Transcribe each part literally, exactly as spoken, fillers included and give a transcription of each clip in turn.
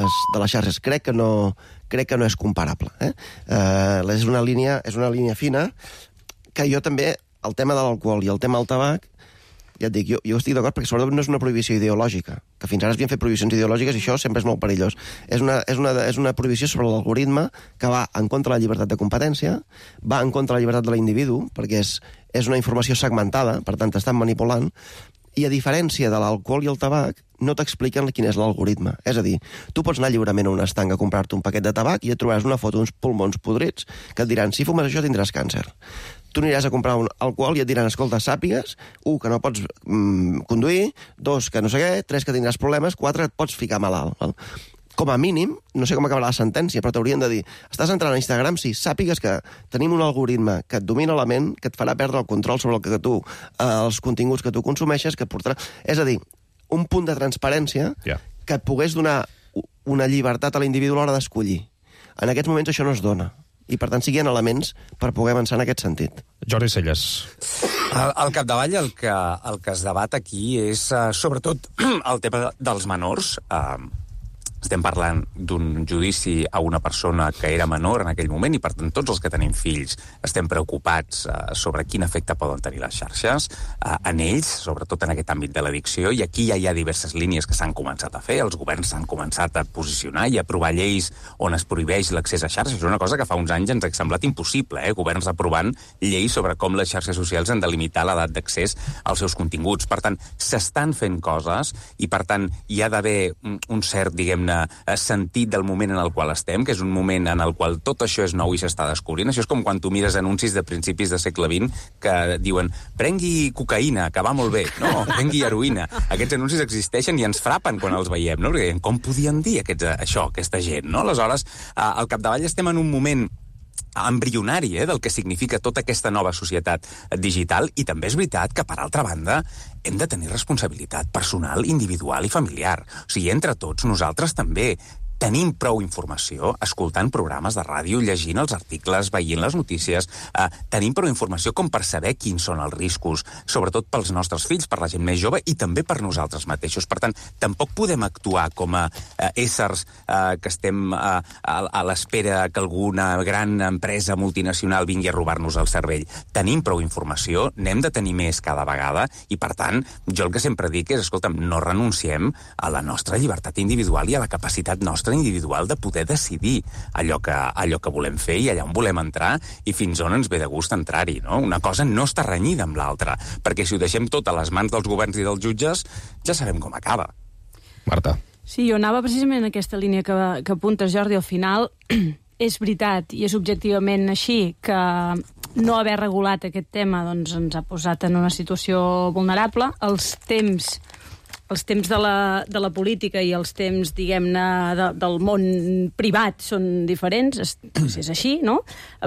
algoritmes de les xarxes. Crec que no, crec que no és comparable. Eh? Uh, és, una línia, és una línia fina que jo també, el tema de l'alcohol i el tema del tabac, ja et dic, jo, jo estic d'acord perquè sobretot no és una prohibició ideològica, que fins ara es havien fet prohibicions ideològiques i això sempre és molt perillós. És una, és una, és una prohibició sobre l'algoritme que va en contra de la llibertat de competència, va en contra de la llibertat de l'individu, perquè és, és una informació segmentada, per tant t'estan manipulant, i a diferència de l'alcohol i el tabac, no t'expliquen quin és l'algoritme. És a dir, tu pots anar lliurement a un estanc a comprar-te un paquet de tabac i et trobaràs una foto d'uns pulmons podrits que et diran, si fumes això tindràs càncer. Tu aniràs a comprar un alcohol i et diran, escolta, sàpigues, un, que no pots mm, conduir, dos, que no sé què, tres, que tindràs problemes, quatre, et pots ficar malalt. Val? Com a mínim, no sé com acabarà la sentència, però t'haurien de dir, estàs entrant a Instagram, sí, sàpigues que tenim un algoritme que et domina la ment, que et farà perdre el control sobre el que tu, eh, els continguts que tu consumeixes, que portarà... És a dir, un punt de transparència yeah. que et pogués donar una llibertat a l'individu a l'hora d'escollir. En aquests moments això no es dona. I, per tant, siguin elements per poder avançar en aquest sentit. Jordi Celles. Al, al capdavall el que, el que es debat aquí és, uh, sobretot, el tema dels menors. Uh, estem parlant d'un judici a una persona que era menor en aquell moment i, per tant, tots els que tenim fills estem preocupats uh, sobre quin efecte poden tenir les xarxes uh, en ells, sobretot en aquest àmbit de l'addicció, i aquí ja hi ha diverses línies que s'han començat a fer. Els governs s'han començat a posicionar i a aprovar lleis on es prohibeix l'accés a xarxes. És una cosa que fa uns anys ens ha semblat impossible, eh? Governs aprovant lleis sobre com les xarxes socials han de limitar l'edat d'accés als seus continguts. Per tant, s'estan fent coses i, per tant, hi ha d'haver un, un cert, diguem-ne, sentit del moment en el qual estem, que és un moment en el qual tot això és nou i s'està descobrint. Això és com quan tu mires anuncis de principis de segle vint que diuen prengui cocaïna, que va molt bé. No, prengui heroïna. Aquests anuncis existeixen i ens frapen quan els veiem, no? Perquè com podien dir aquests, això, aquesta gent, no? Aleshores, al capdavall estem en un moment embrionari eh, del que significa tota aquesta nova societat digital, i també és veritat que, per altra banda, hem de tenir responsabilitat personal, individual i familiar. O sigui, entre tots, nosaltres també tenim prou informació, escoltant programes de ràdio, llegint els articles, veient les notícies, eh, tenim prou informació com per saber quins són els riscos, sobretot pels nostres fills, per la gent més jove i també per nosaltres mateixos. Per tant, tampoc podem actuar com a eh, éssers eh, que estem eh, a, a l'espera que alguna gran empresa multinacional vingui a robar-nos el cervell. Tenim prou informació, n'hem de tenir més cada vegada i, per tant, jo el que sempre dic és, escolta'm, no renunciem a la nostra llibertat individual i a la capacitat nostra individual de poder decidir allò que, allò que volem fer i allà on volem entrar i fins on ens ve de gust entrar-hi, no? Una cosa no està renyida amb l'altra, perquè si ho deixem tot a les mans dels governs i dels jutges, ja sabem com acaba. Marta. Sí, jo anava precisament en aquesta línia que, que apuntes, Jordi, al final és veritat i és objectivament així que no haver regulat aquest tema doncs, ens ha posat en una situació vulnerable. Els temps els temps de la, de la política i els temps, diguem-ne, de, del món privat són diferents, és, és així, no?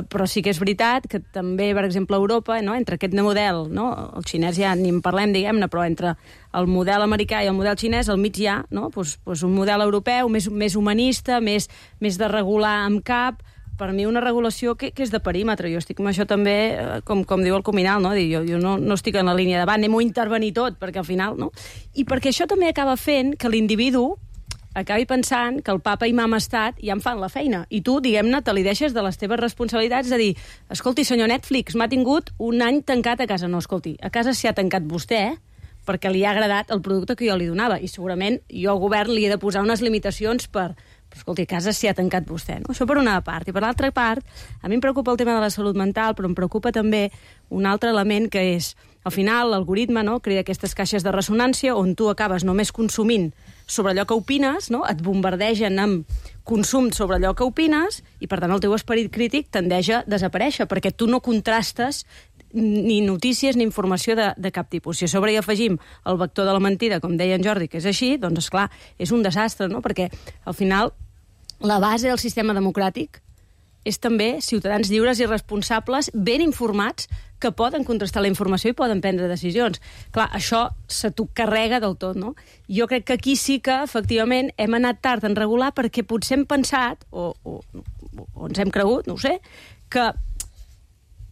Però sí que és veritat que també, per exemple, a Europa, no? Entre aquest model, no? El xinès ja ni en parlem, diguem-ne, però entre el model americà i el model xinès, al mig hi ha, no? Pues, pues un model europeu més, més humanista, més, més de regular amb cap. Per mi una regulació que, que és de perímetre. Jo estic amb això també, com, com diu el Cominal, no? Jo, jo no, no estic en la línia de va, anem-ho a intervenir tot, perquè al final, no? I perquè això també acaba fent que l'individu acabi pensant que el papa i mama estat ja en fan la feina. I tu, diguem-ne, te li deixes de les teves responsabilitats de dir, escolti, senyor Netflix, m'ha tingut un any tancat a casa. No, escolti, a casa s'hi ha tancat vostè, perquè li ha agradat el producte que jo li donava. I segurament jo al govern li he de posar unes limitacions per... Però, escolti, a casa s'hi ha tancat vostè, no? Això per una part. I per l'altra part, a mi em preocupa el tema de la salut mental, però em preocupa també un altre element que és, al final, l'algoritme, no?, crea aquestes caixes de ressonància on tu acabes només consumint sobre allò que opines, no?, et bombardegen amb consum sobre allò que opines i, per tant, el teu esperit crític tendeix a desaparèixer, perquè tu no contrastes ni notícies ni informació de, de cap tipus. Si a sobre hi afegim el vector de la mentida, com deia en Jordi, que és així, doncs, esclar, és un desastre, no?, perquè, al final, la base del sistema democràtic és també ciutadans lliures i responsables, ben informats, que poden contrastar la informació i poden prendre decisions. Clar, això se t'ho carrega del tot, no? Jo crec que aquí sí que, efectivament, hem anat tard en regular perquè potser hem pensat, o, o, o ens hem cregut, no ho sé, que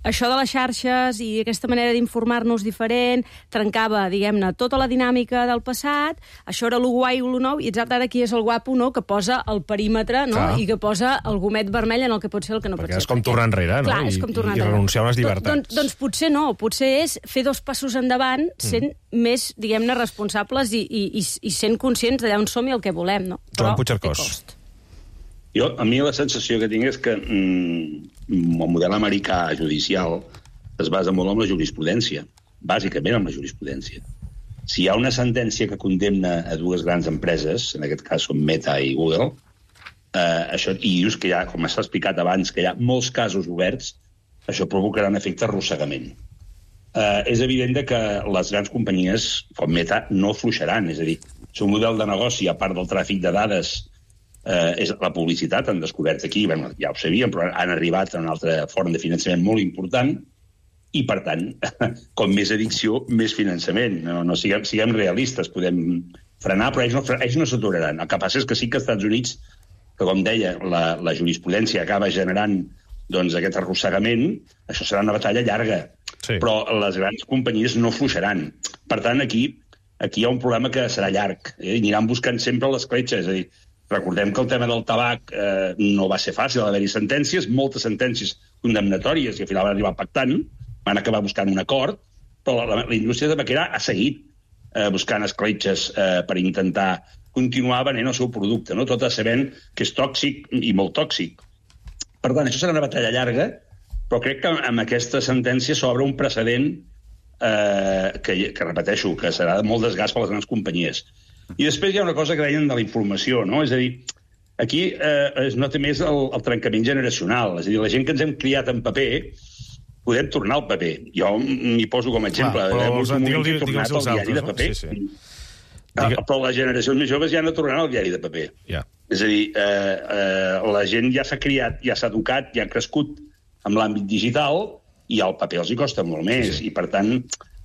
això de les xarxes i aquesta manera d'informar-nos diferent trencava, diguem-ne, tota la dinàmica del passat, això era lo guai o lo nou, i exacte ara aquí és el guapo, no?, que posa el perímetre, no?, Clar. i que posa el gomet vermell en el que pot ser el que no perquè pot ser. és com tornar enrere, no? Clar, és com tornar I, enrere. I renunciar a unes llibertats. Doncs, doncs potser no, potser és fer dos passos endavant sent mm. més, diguem-ne, responsables i, i, i, i sent conscients d'allà on som i el que volem, no? Però Joan Puigcercós. Jo, a mi la sensació que tinc és que mm, el model americà judicial es basa molt en la jurisprudència, bàsicament en la jurisprudència. Si hi ha una sentència que condemna a dues grans empreses, en aquest cas són Meta i Google, eh, això, i dius que hi ha, com s'ha explicat abans, que hi ha molts casos oberts, això provocarà un efecte arrossegament. Eh, és evident que les grans companyies, com Meta, no fluixaran, és a dir, el seu model de negoci, a part del tràfic de dades, Eh, és la publicitat, han descobert aquí, bueno, ja ho sabíem, però han arribat a una altra forma de finançament molt important i, per tant, com més addicció, més finançament. No, no siguem, siguem realistes, podem frenar, però ells no, ells no s'aturaran. El que passa és que sí que als Estats Units, que com deia, la, la jurisprudència acaba generant doncs, aquest arrossegament, això serà una batalla llarga, sí. Però les grans companyies no fluixaran. Per tant, aquí, aquí hi ha un problema que serà llarg, eh? I aniran buscant sempre l'escletxa, és a dir, recordem que el tema del tabac eh, no va ser fàcil, va haver-hi sentències, moltes sentències condemnatòries, i al final van arribar pactant, van acabar buscant un acord, però la, la indústria tabaquera ha seguit eh, buscant escletxes eh, per intentar continuar venent el seu producte, no? Tot sabent que és tòxic i molt tòxic. Per tant, això serà una batalla llarga, però crec que amb aquesta sentència s'obre un precedent eh, que, que, repeteixo, que serà molt desgast per les grans companyies. I després hi ha una cosa que deien de la informació, no? És a dir, aquí eh, es nota més el, el trencament generacional. És a dir, la gent que ens hem criat en paper, podem tornar al paper. Jo m'hi poso com a exemple. Clar, però els antics he tornat al diari de paper. Sí, sí. Ah, però les generacions més joves ja no tornaran al diari de paper. Yeah. És a dir, eh, eh, la gent ja s'ha criat, ja s'ha educat, ja ha crescut amb l'àmbit digital i el paper els hi costa molt més. Sí. I, per tant,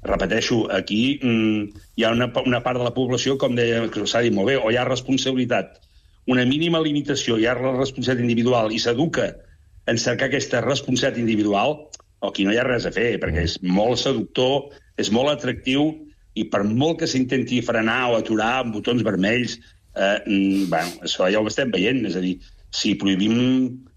repeteixo, aquí mm, hi ha una, una part de la població, com deia, que s'ha dit molt bé, o hi ha responsabilitat, una mínima limitació, hi ha la responsabilitat individual i s'educa en cercar aquesta responsabilitat individual, o aquí no hi ha res a fer, perquè és molt seductor, és molt atractiu, i per molt que s'intenti frenar o aturar amb botons vermells, eh, mm, bueno, això ja ho estem veient, és a dir, si prohibim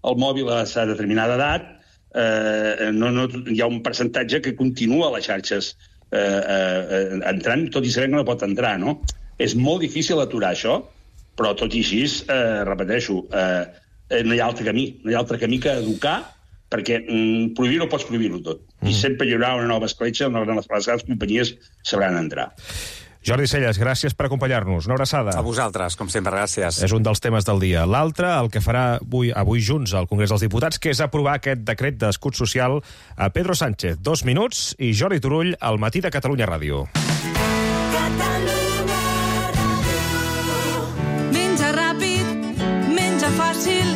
el mòbil a una determinada edat, eh, no, no, hi ha un percentatge que continua a les xarxes Eh, eh, entrant, tot i sabent que no pot entrar, no? És molt difícil aturar això, però tot i així, eh, repeteixo, eh, no hi ha altre camí, no hi ha altre camí que educar, perquè mm, prohibir-ho pots prohibir-ho tot. Mm. I sempre hi haurà una nova escletxa on les grans companyies sabran entrar. Jordi Celles, gràcies per acompanyar-nos. Una abraçada. A vosaltres, com sempre, gràcies. És un dels temes del dia. L'altre, el que farà avui, avui junts al Congrés dels Diputats, que és aprovar aquest decret d'escut social a Pedro Sánchez. Dos minuts i Jordi Turull al Matí de Catalunya Ràdio. Catalunya Ràdio. Menja ràpid, menja fàcil,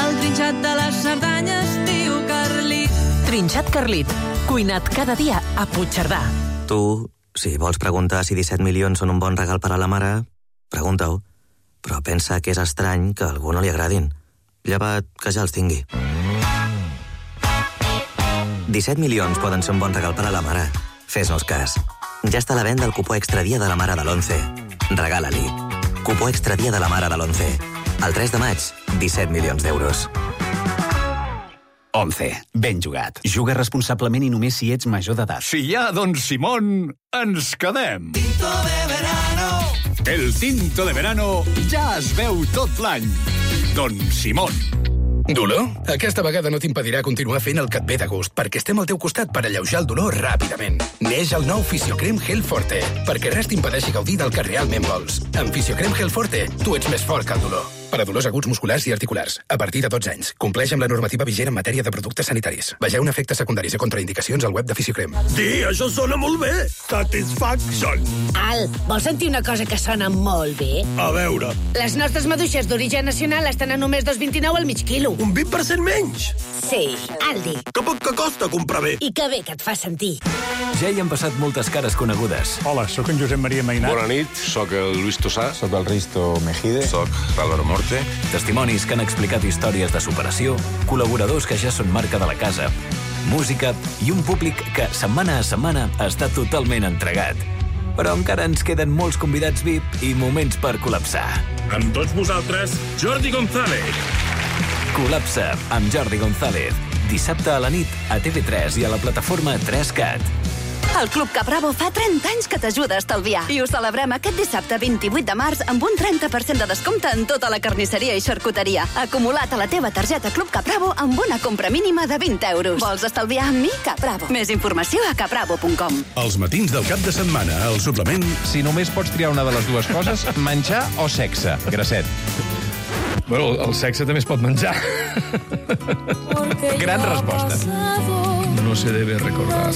el trinxat de les Cerdanyes diu Carlit. Trinxat Carlit, cuinat cada dia a Puigcerdà. Tu... Si vols preguntar si disset milions són un bon regal per a la mare, pregunta-ho. Però pensa que és estrany que a algú no li agradin. Llevat que ja els tingui. disset milions poden ser un bon regal per a la mare. Fes-nos cas. Ja està a la venda el cupó extra dia de la mare de l'onze. Regala-li. Cupó extra dia de la mare de l'onze. El tres de maig, disset milions d'euros. once. Ben jugat. Juga responsablement i només si ets major d'edat. Si hi ha Don Simón, ens quedem. Tinto de verano. El tinto de verano ja es veu tot l'any. Don Simón. Dolor? Aquesta vegada no t'impedirà continuar fent el que et ve de gust, perquè estem al teu costat per alleujar el dolor ràpidament. Neix el nou Fisiocrem Gel Forte, perquè res t'impedeixi gaudir del que realment vols. Amb Fisiocrem Gel Forte, tu ets més fort que el dolor. Per a dolors aguts musculars i articulars, a partir de dotze anys. Compleix amb la normativa vigent en matèria de productes sanitaris. Vegeu efectes secundaris i contraindicacions al web de Fisiocrem. Sí, això sona molt bé. Satisfaction. Al, vols sentir una cosa que sona molt bé? A veure. Les nostres maduixes d'origen nacional estan a només dos coma vint-i-nou al mig quilo. Un vint per cent menys? Sí, Aldi. Que poc que costa comprar bé. I que bé que et fa sentir. Ja hi han passat moltes cares conegudes. Hola, sóc en Josep Maria Mainat. Bona nit, sóc el Luis Tosà. Sóc el Risto Mejide. Sóc l'Álvaro Morte. Testimonis que han explicat històries de superació, col·laboradors que ja són marca de la casa, música i un públic que, setmana a setmana, està totalment entregat. Però encara ens queden molts convidats V I P i moments per col·lapsar. Amb tots vosaltres, Jordi González. Col·lapsa amb Jordi González. Dissabte a la nit a T V tres i a la plataforma tres cat. El Club Capravo fa trenta anys que t'ajuda a estalviar. I ho celebrem aquest dissabte vint-i-vuit de març amb un trenta per cent de descompte en tota la carnisseria i xarcuteria. Acumulat a la teva targeta Club Capravo amb una compra mínima de vint euros. Vols estalviar amb mi? Capravo. Més informació a capravo punt com. Els matins del cap de setmana, el suplement... Si només pots triar una de les dues coses, menjar o sexe, Grasset? Bueno, el sexe també es pot menjar. Gran resposta. No se debe recordar.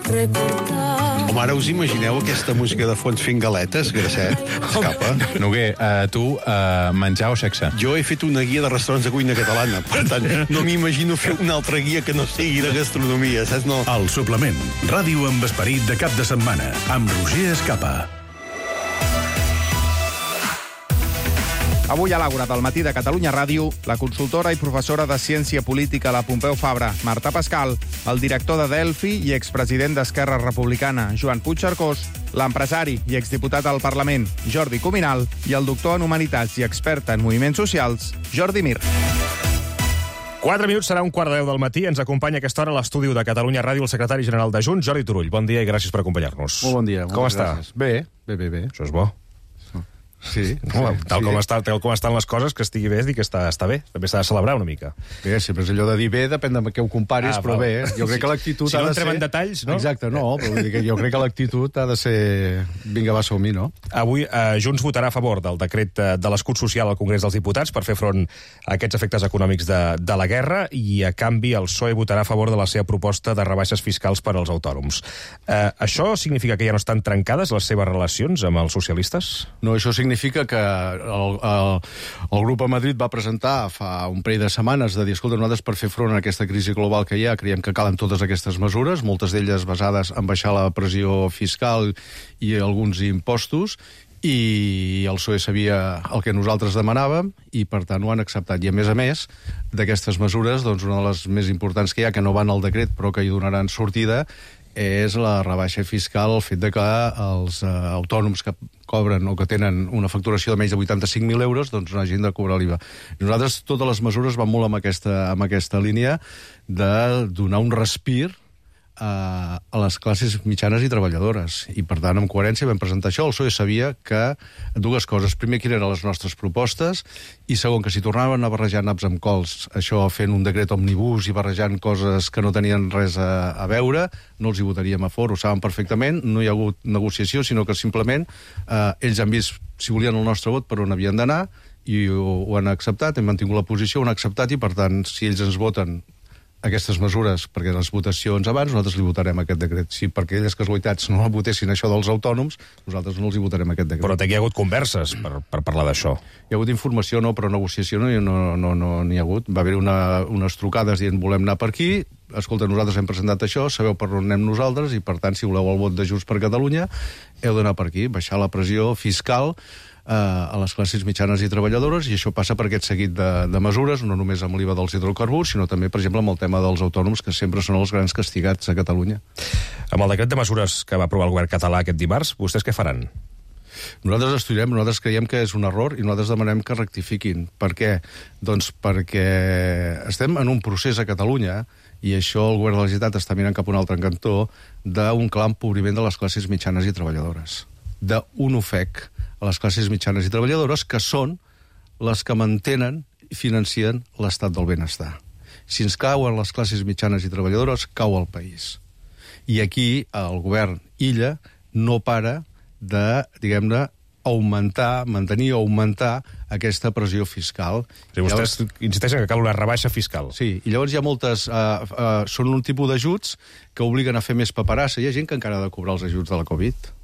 Home, ara us imagineu aquesta música de fons fent galetes, Grasset? Escapa. Noguer, uh, tu, uh, menjar o sexe? Jo he fet una guia de restaurants de cuina catalana, per tant, no m'imagino fer una altra guia que no sigui de gastronomia, saps? No. El suplement. Ràdio amb esperit de cap de setmana, amb Roger Escapa. Avui a l'Àgora del matí de Catalunya Ràdio, la consultora i professora de Ciència Política a la Pompeu Fabra, Marta Pascal, el director de Delphi i expresident d'Esquerra Republicana, Joan Puigcercós, l'empresari i exdiputat al Parlament, Jordi Cuminal, i el doctor en Humanitats i expert en moviments socials, Jordi Mir. Quatre minuts, serà un quart de deu del matí. Ens acompanya a aquesta hora a l'estudi de Catalunya Ràdio el secretari general de Junts, Jordi Turull. Bon dia i gràcies per acompanyar-nos. Molt bon dia. Com està? Gràcies. Bé, bé, bé, bé. Això és bo. Sí, no, sí, tal, sí. Com està, tal com estan les coses, que estigui bé és dir que està, està bé. També s'ha de celebrar una mica. Bé, sempre és allò de dir bé, depèn de què ho comparis, ah, però bé, jo crec que l'actitud si ha no de ser... Si no entrem en detalls, no? Exacte, no, però vull dir que jo crec que l'actitud ha de ser... Vinga, va, som-hi, no? Avui eh, Junts votarà a favor del decret de l'escut social al Congrés dels Diputats per fer front a aquests efectes econòmics de, de la guerra i, a canvi, el P S O E votarà a favor de la seva proposta de rebaixes fiscals per als autònoms. Eh, això significa que ja no estan trencades les seves relacions amb els socialistes? No, això significa que El, el, el grup a Madrid va presentar fa un parell de setmanes de dir, escolta, nosaltres per fer front a aquesta crisi global que hi ha creiem que calen totes aquestes mesures, moltes d'elles basades en baixar la pressió fiscal i alguns impostos, i el P S O E sabia el que nosaltres demanàvem i per tant ho han acceptat. I a més a més d'aquestes mesures, doncs una de les més importants que hi ha, que no van al decret però que hi donaran sortida, és la rebaixa fiscal, el fet de que els eh, autònoms que cobren o que tenen una facturació de menys de vuitanta-cinc mil euros doncs no hagin de cobrar l'I V A. Nosaltres totes les mesures van molt amb aquesta, amb aquesta línia de donar un respir a, a les classes mitjanes i treballadores. I, per tant, amb coherència vam presentar això. El P S O E sabia que dues coses. Primer, quines eren les nostres propostes, i segon, que si tornaven a barrejar naps amb cols, això fent un decret omnibus i barrejant coses que no tenien res a, a veure, no els hi votaríem a favor. Ho saben perfectament, no hi ha hagut negociació, sinó que simplement eh, ells han vist si volien el nostre vot per on havien d'anar i ho, ho han acceptat, hem mantingut la posició, ho han acceptat i, per tant, si ells ens voten aquestes mesures, perquè les votacions abans, nosaltres li votarem aquest decret. Si per aquelles casualitats no la votessin això dels autònoms, nosaltres no els hi votarem aquest decret. Però aquí hi ha hagut converses per, per parlar d'això. Hi ha hagut informació, no, però negociació no n'hi no, no, no, no ha hagut. Va haver una, unes trucades dient volem anar per aquí, escolta, nosaltres hem presentat això, sabeu per on anem nosaltres, i per tant, si voleu el vot de Junts per Catalunya, heu d'anar per aquí, baixar la pressió fiscal a les classes mitjanes i treballadores, i això passa per aquest seguit de, de mesures, no només amb l'I V A dels hidrocarburs, sinó també, per exemple, amb el tema dels autònoms, que sempre són els grans castigats a Catalunya. Amb el decret de mesures que va aprovar el govern català aquest dimarts, vostès què faran? Nosaltres estudiarem, nosaltres creiem que és un error i nosaltres demanem que rectifiquin. Per què? Doncs perquè estem en un procés a Catalunya, i això el govern de la Generalitat està mirant cap a un altre cantó, d'un clar empobriment de les classes mitjanes i treballadores. D'un ofec a les classes mitjanes i treballadores, que són les que mantenen i financien l'estat del benestar. Si ens cauen les classes mitjanes i treballadores, cau el país. I aquí el govern illa no para de, diguem-ne, augmentar, mantenir o augmentar aquesta pressió fiscal. Sí, vostès llavors insisteixen que cal una rebaixa fiscal. Sí, i llavors hi ha moltes... Uh, uh, són un tipus d'ajuts que obliguen a fer més paperassa. Hi ha gent que encara ha de cobrar els ajuts de la Covid.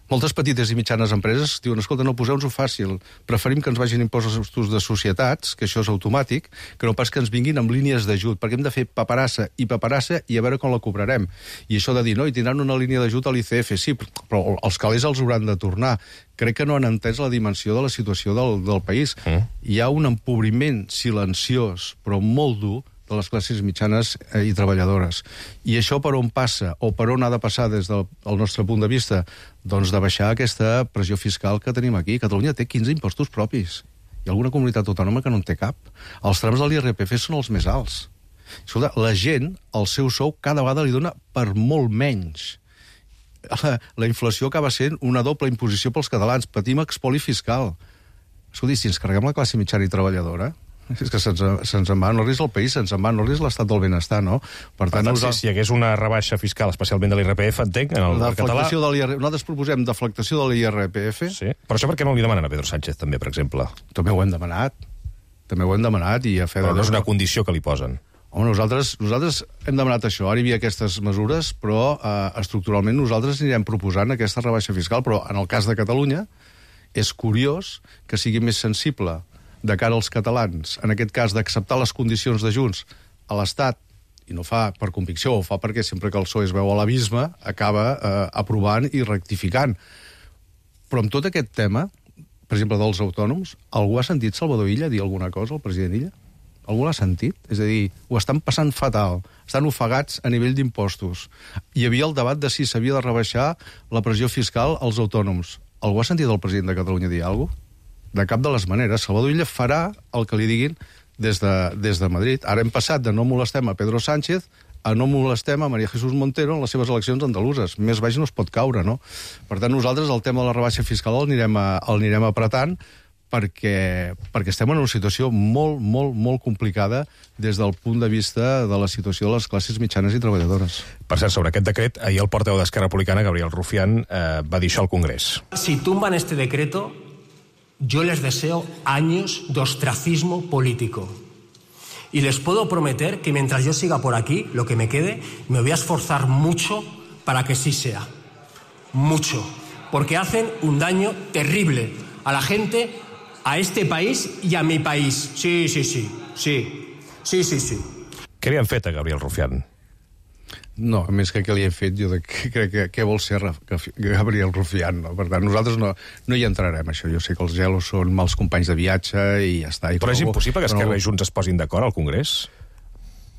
Moltes petites i mitjanes empreses diuen, escolta, no, poseu-nos-ho fàcil, preferim que ens vagin impostos de societats, que això és automàtic, que no pas que ens vinguin amb línies d'ajut, perquè hem de fer paperassa i paperassa i a veure com la cobrarem. I això de dir, no, i tindran una línia d'ajut a l'I C F, sí, però els calés els hauran de tornar. Crec que no han entès la dimensió de la situació del, del país. Mm. Hi ha un empobriment silenciós, però molt dur, de les classes mitjanes i treballadores. I això per on passa, o per on ha de passar des del nostre punt de vista? Doncs de baixar aquesta pressió fiscal que tenim aquí. Catalunya té quinze impostos propis. Hi ha alguna comunitat autònoma que no en té cap. Els trams de l'I R P F són els més alts. Escolta, la gent, el seu sou, cada vegada li dona per molt menys. La, la inflació acaba sent una doble imposició pels catalans. Patim expoli fiscal. Escolta, si ens carreguem la classe mitjana i treballadora, és que se'ns se en va, no risc el país, se'ns en va, no risc l'estat del benestar, no? Per tant, per tant nosaltres... si hi hagués una rebaixa fiscal, especialment de l'I R P F, entenc, en el, el català... De l'I R P F, nosaltres proposem deflactació de l'I R P F. Sí, però això per què no li demanen a Pedro Sánchez, també, per exemple? També ho hem demanat. També ho hem demanat i a fer... Però no és una condició que li posen. Home, nosaltres, nosaltres hem demanat això. Ara hi havia aquestes mesures, però eh, estructuralment nosaltres anirem proposant aquesta rebaixa fiscal, però en el cas de Catalunya és curiós que sigui més sensible de cara als catalans, en aquest cas d'acceptar les condicions de Junts a l'Estat, i no fa per convicció, ho fa perquè sempre que el P S O E es veu a l'abisme acaba eh, aprovant i rectificant. Però amb tot aquest tema, per exemple, dels autònoms, algú ha sentit Salvador Illa dir alguna cosa, el president Illa? Algú l'ha sentit? És a dir, ho estan passant fatal, estan ofegats a nivell d'impostos. Hi havia el debat de si s'havia de rebaixar la pressió fiscal als autònoms. Algú ha sentit el president de Catalunya dir alguna cosa? De cap de les maneres. Salvador Illa farà el que li diguin des de, des de Madrid. Ara hem passat de no molestem a Pedro Sánchez a no molestem a María Jesús Montero en les seves eleccions andaluses. Més baix no es pot caure, no? Per tant, nosaltres el tema de la rebaixa fiscal el anirem, a, el anirem apretant perquè, perquè estem en una situació molt, molt, molt complicada des del punt de vista de la situació de les classes mitjanes i treballadores. Per cert, sobre aquest decret, ahir el portaveu d'Esquerra Republicana, Gabriel Rufián, eh, va dir això al Congrés. Si tumban este decreto, yo les deseo años de ostracismo político. Y les puedo prometer que mientras yo siga por aquí, lo que me quede, me voy a esforzar mucho para que sí sea. Mucho. Porque hacen un daño terrible a la gente, a este país y a mi país. Sí, sí, sí. Sí, sí, sí, sí. Què li han fet a Gabriel Rufián? No, a més que què li hem fet, jo crec que què vol ser Gabriel Rufián, no? Per tant, nosaltres no, no hi entrarem, això. Jo sé que els gelos són mals companys de viatge i ja està. I però és impossible que Esquerra i Junts es posin d'acord al Congrés?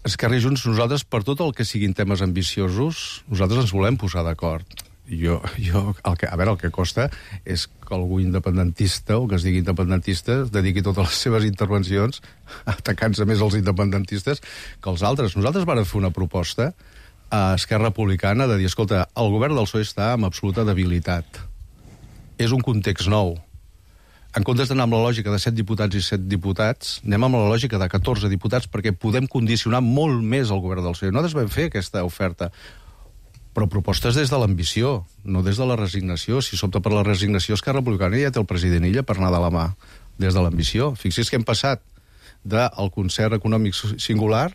Esquerra i Junts, nosaltres, per tot el que siguin temes ambiciosos, nosaltres ens volem posar d'acord. Jo, jo el que, a veure, el que costa és que algú independentista, o que es digui independentista, es dediqui totes les seves intervencions atacant-se més els independentistes que els altres. Nosaltres vam fer una proposta a Esquerra Republicana de dir, escolta, el govern del P S O E està amb absoluta debilitat. És un context nou. En comptes d'anar amb la lògica de set diputats i set diputats, anem amb la lògica de catorze diputats perquè podem condicionar molt més el govern del P S O E. Nosaltres vam fer aquesta oferta, però propostes des de l'ambició, no des de la resignació. Si s'opta per la resignació, Esquerra Republicana ja té el president Illa per anar de la mà des de l'ambició. Fixi's que hem passat del concert econòmic singular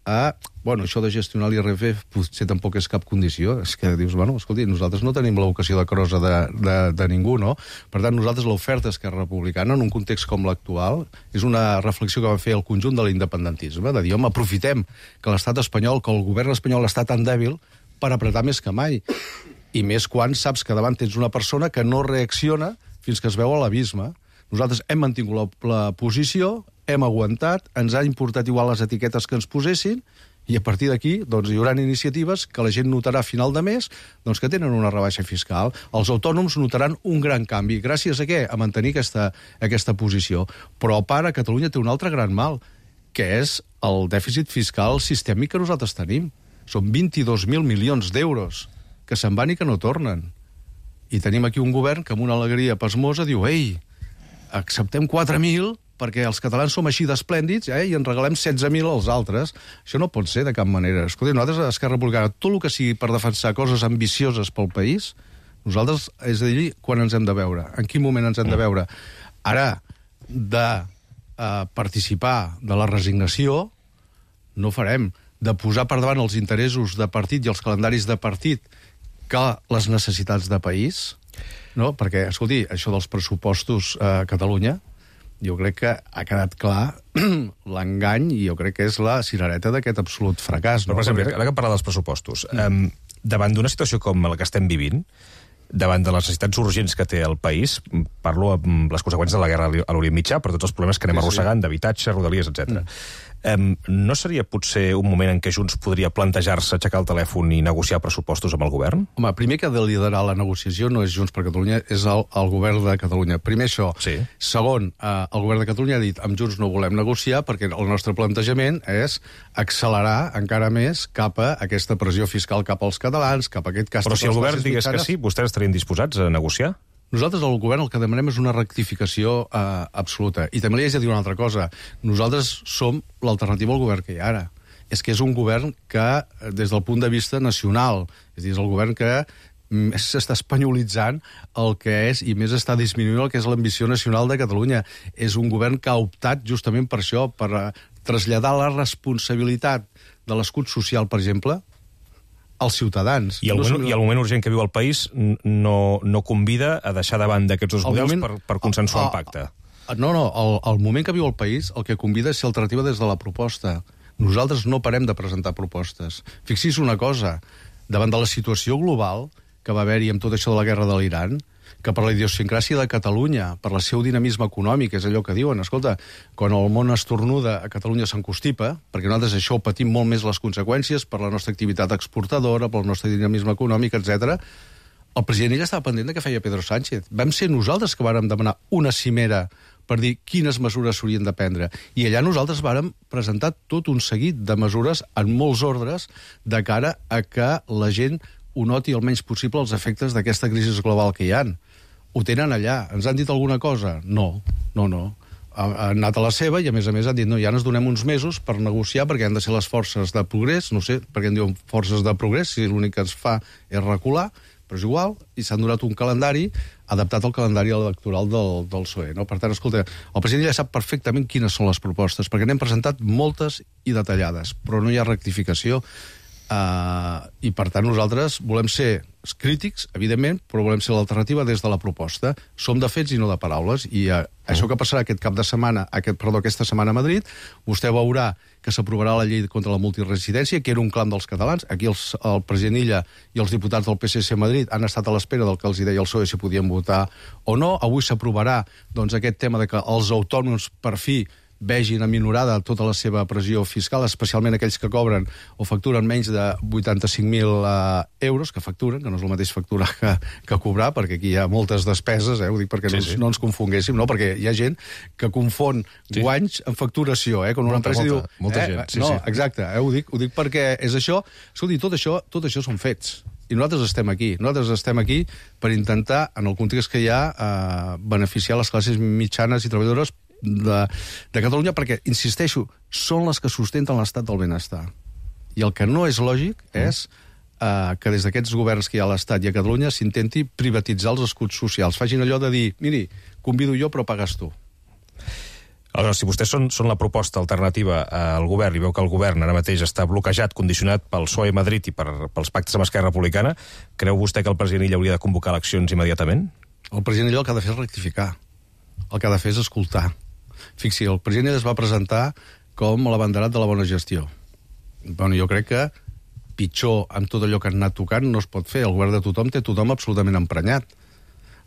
a, bueno, això de gestionar l'I R P F potser tampoc és cap condició. És que dius, bueno, escolti, nosaltres no tenim la vocació de crossa de, de, de ningú, no? Per tant, nosaltres l'oferta Esquerra Republicana, en un context com l'actual, és una reflexió que va fer el conjunt de l'independentisme, de dir, home, aprofitem que l'estat espanyol, que el govern espanyol està tan dèbil per apretar més que mai. I més quan saps que davant tens una persona que no reacciona fins que es veu a l'abisme. Nosaltres hem mantingut la, la posició, hem aguantat, ens ha importat igual les etiquetes que ens posessin, i a partir d'aquí doncs, hi haurà iniciatives que la gent notarà a final de mes doncs, que tenen una rebaixa fiscal. Els autònoms notaran un gran canvi. Gràcies a què? A mantenir aquesta, aquesta posició. Però a part, a Catalunya té un altre gran mal, que és el dèficit fiscal sistèmic que nosaltres tenim. Són vint-i-dos mil milions d'euros que se'n van i que no tornen. I tenim aquí un govern que amb una alegria pasmosa diu, ei, acceptem quatre mil perquè els catalans som així d'esplèndids eh, i en regalem setze mil als altres. Això no pot ser de cap manera. Escolta, nosaltres a Esquerra Republicana, tot el que sigui per defensar coses ambicioses pel país, nosaltres, és a dir, quan ens hem de veure? En quin moment ens hem de veure? Ara, de eh, participar de la resignació, no farem. De posar per davant els interessos de partit i els calendaris de partit que les necessitats de país, no? Perquè, escolti, això dels pressupostos a Catalunya, jo crec que ha quedat clar l'engany i jo crec que és la cirereta d'aquest absolut fracàs. No? Però, per exemple, ara que parla dels pressupostos, mm. eh, davant d'una situació com la que estem vivint, davant de les necessitats urgents que té el país, parlo amb les conseqüències de la guerra a l'Orient Mitjà, per tots els problemes que anem sí, arrossegant, sí. d'habitatge, rodalies, etcètera. Mm. Um, no seria potser un moment en què Junts podria plantejar-se aixecar el telèfon i negociar pressupostos amb el govern? Home, primer que ha de liderar la negociació no és Junts per Catalunya, és el, el govern de Catalunya. Primer això. Sí. Segon, eh, el govern de Catalunya ha dit amb Junts no volem negociar perquè el nostre plantejament és accelerar encara més cap a aquesta pressió fiscal cap als catalans, cap a aquest cas... Però si el govern digués que sí, vostès estarien disposats a negociar? Nosaltres, al govern, el que demanem és una rectificació eh, absoluta. I també li haig de dir una altra cosa. Nosaltres som l'alternativa al govern que hi ha ara. És que és un govern que, des del punt de vista nacional, és a dir, és el govern que més s'està espanyolitzant el que és i més està disminuint el que és l'ambició nacional de Catalunya. És un govern que ha optat justament per això, per traslladar la responsabilitat de l'escut social, per exemple, als ciutadans. I el, no moment, som... I el moment urgent que viu el país no, no convida a deixar davant d'aquests dos models moment... per, per consensuar un pacte. No, no, el, el moment que viu el país el que convida és ser alternativa des de la proposta. Nosaltres no parem de presentar propostes. Fixi's una cosa, davant de la situació global que va haver-hi amb tot això de la guerra de l'Iran, que per la idiosincràsia de Catalunya, per el seu dinamisme econòmic, és allò que diuen, escolta, quan el món estornuda, a Catalunya s'encostipa, perquè nosaltres això ho patim molt més les conseqüències per la nostra activitat exportadora, pel nostre dinamisme econòmic, etcètera. El president ella estava pendent de què feia Pedro Sánchez. Vam ser nosaltres que vàrem demanar una cimera per dir quines mesures s'haurien de prendre. I allà nosaltres vàrem presentar tot un seguit de mesures en molts ordres de cara a que la gent ho noti el menys possible els efectes d'aquesta crisi global que hi ha. Ho tenen allà. Ens han dit alguna cosa? No, no, no. Han anat a la seva i, a més a més, han dit no, ja ens donem uns mesos per negociar perquè han de ser les forces de progrés, no sé per què en diuen forces de progrés, si l'únic que ens fa és recular, però és igual, i s'han donat un calendari adaptat al calendari electoral del, del P S O E. No? Per tant, escolta, el president ja sap perfectament quines són les propostes, perquè n'hem presentat moltes i detallades, però no hi ha rectificació. Uh, i per tant nosaltres volem ser crítics, evidentment, però volem ser l'alternativa des de la proposta. Som de fets i no de paraules, i uh, això que passarà aquest cap de setmana, aquest, perdó, aquesta setmana a Madrid, vostè veurà que s'aprovarà la llei contra la multiresidència, que era un clam dels catalans. Aquí els, el president Illa i els diputats del P S C a Madrid han estat a l'espera del que els deia el P S O E si podien votar o no. Avui s'aprovarà doncs, aquest tema de que els autònoms per fi vegin aminorada tota la seva pressió fiscal, especialment aquells que cobren o facturen menys de vuitanta-cinc mil uh, euros, que facturen, que no és el mateix facturar que, que cobrar, perquè aquí hi ha moltes despeses, eh? Ho dic perquè sí, no, sí. no ens confonguéssim, no? Perquè hi ha gent que confon sí. guanys amb facturació, eh? Quan una molta, empresa molta, diu... Molta eh? gent, sí, no, sí. Exacte, eh? ho, dic, ho dic perquè és això... Escolti, tot això, tot això són fets. I nosaltres estem aquí. Nosaltres estem aquí per intentar, en el context que hi ha, eh, beneficiar les classes mitjanes i treballadores De, de Catalunya, perquè, insisteixo, són les que sustenten l'estat del benestar. I el que no és lògic és eh, que des d'aquests governs que hi ha a l'Estat i a Catalunya s'intenti privatitzar els escuts socials. Facin allò de dir, miri, convido jo però pagues tu. Aleshores, si vostès són, són la proposta alternativa al govern i veu que el govern ara mateix està bloquejat, condicionat pel P S O E a Madrid i per, pels pactes amb Esquerra Republicana, creu vostè que el president Illa hauria de convocar eleccions immediatament? El president Illa el que ha de fer és rectificar. El que ha de fer és escoltar. Fixi, el president es va presentar com l'abanderat de la bona gestió. Bueno, jo crec que pitjor amb tot allò que han anat tocant no es pot fer. El govern de tothom té tothom absolutament emprenyat.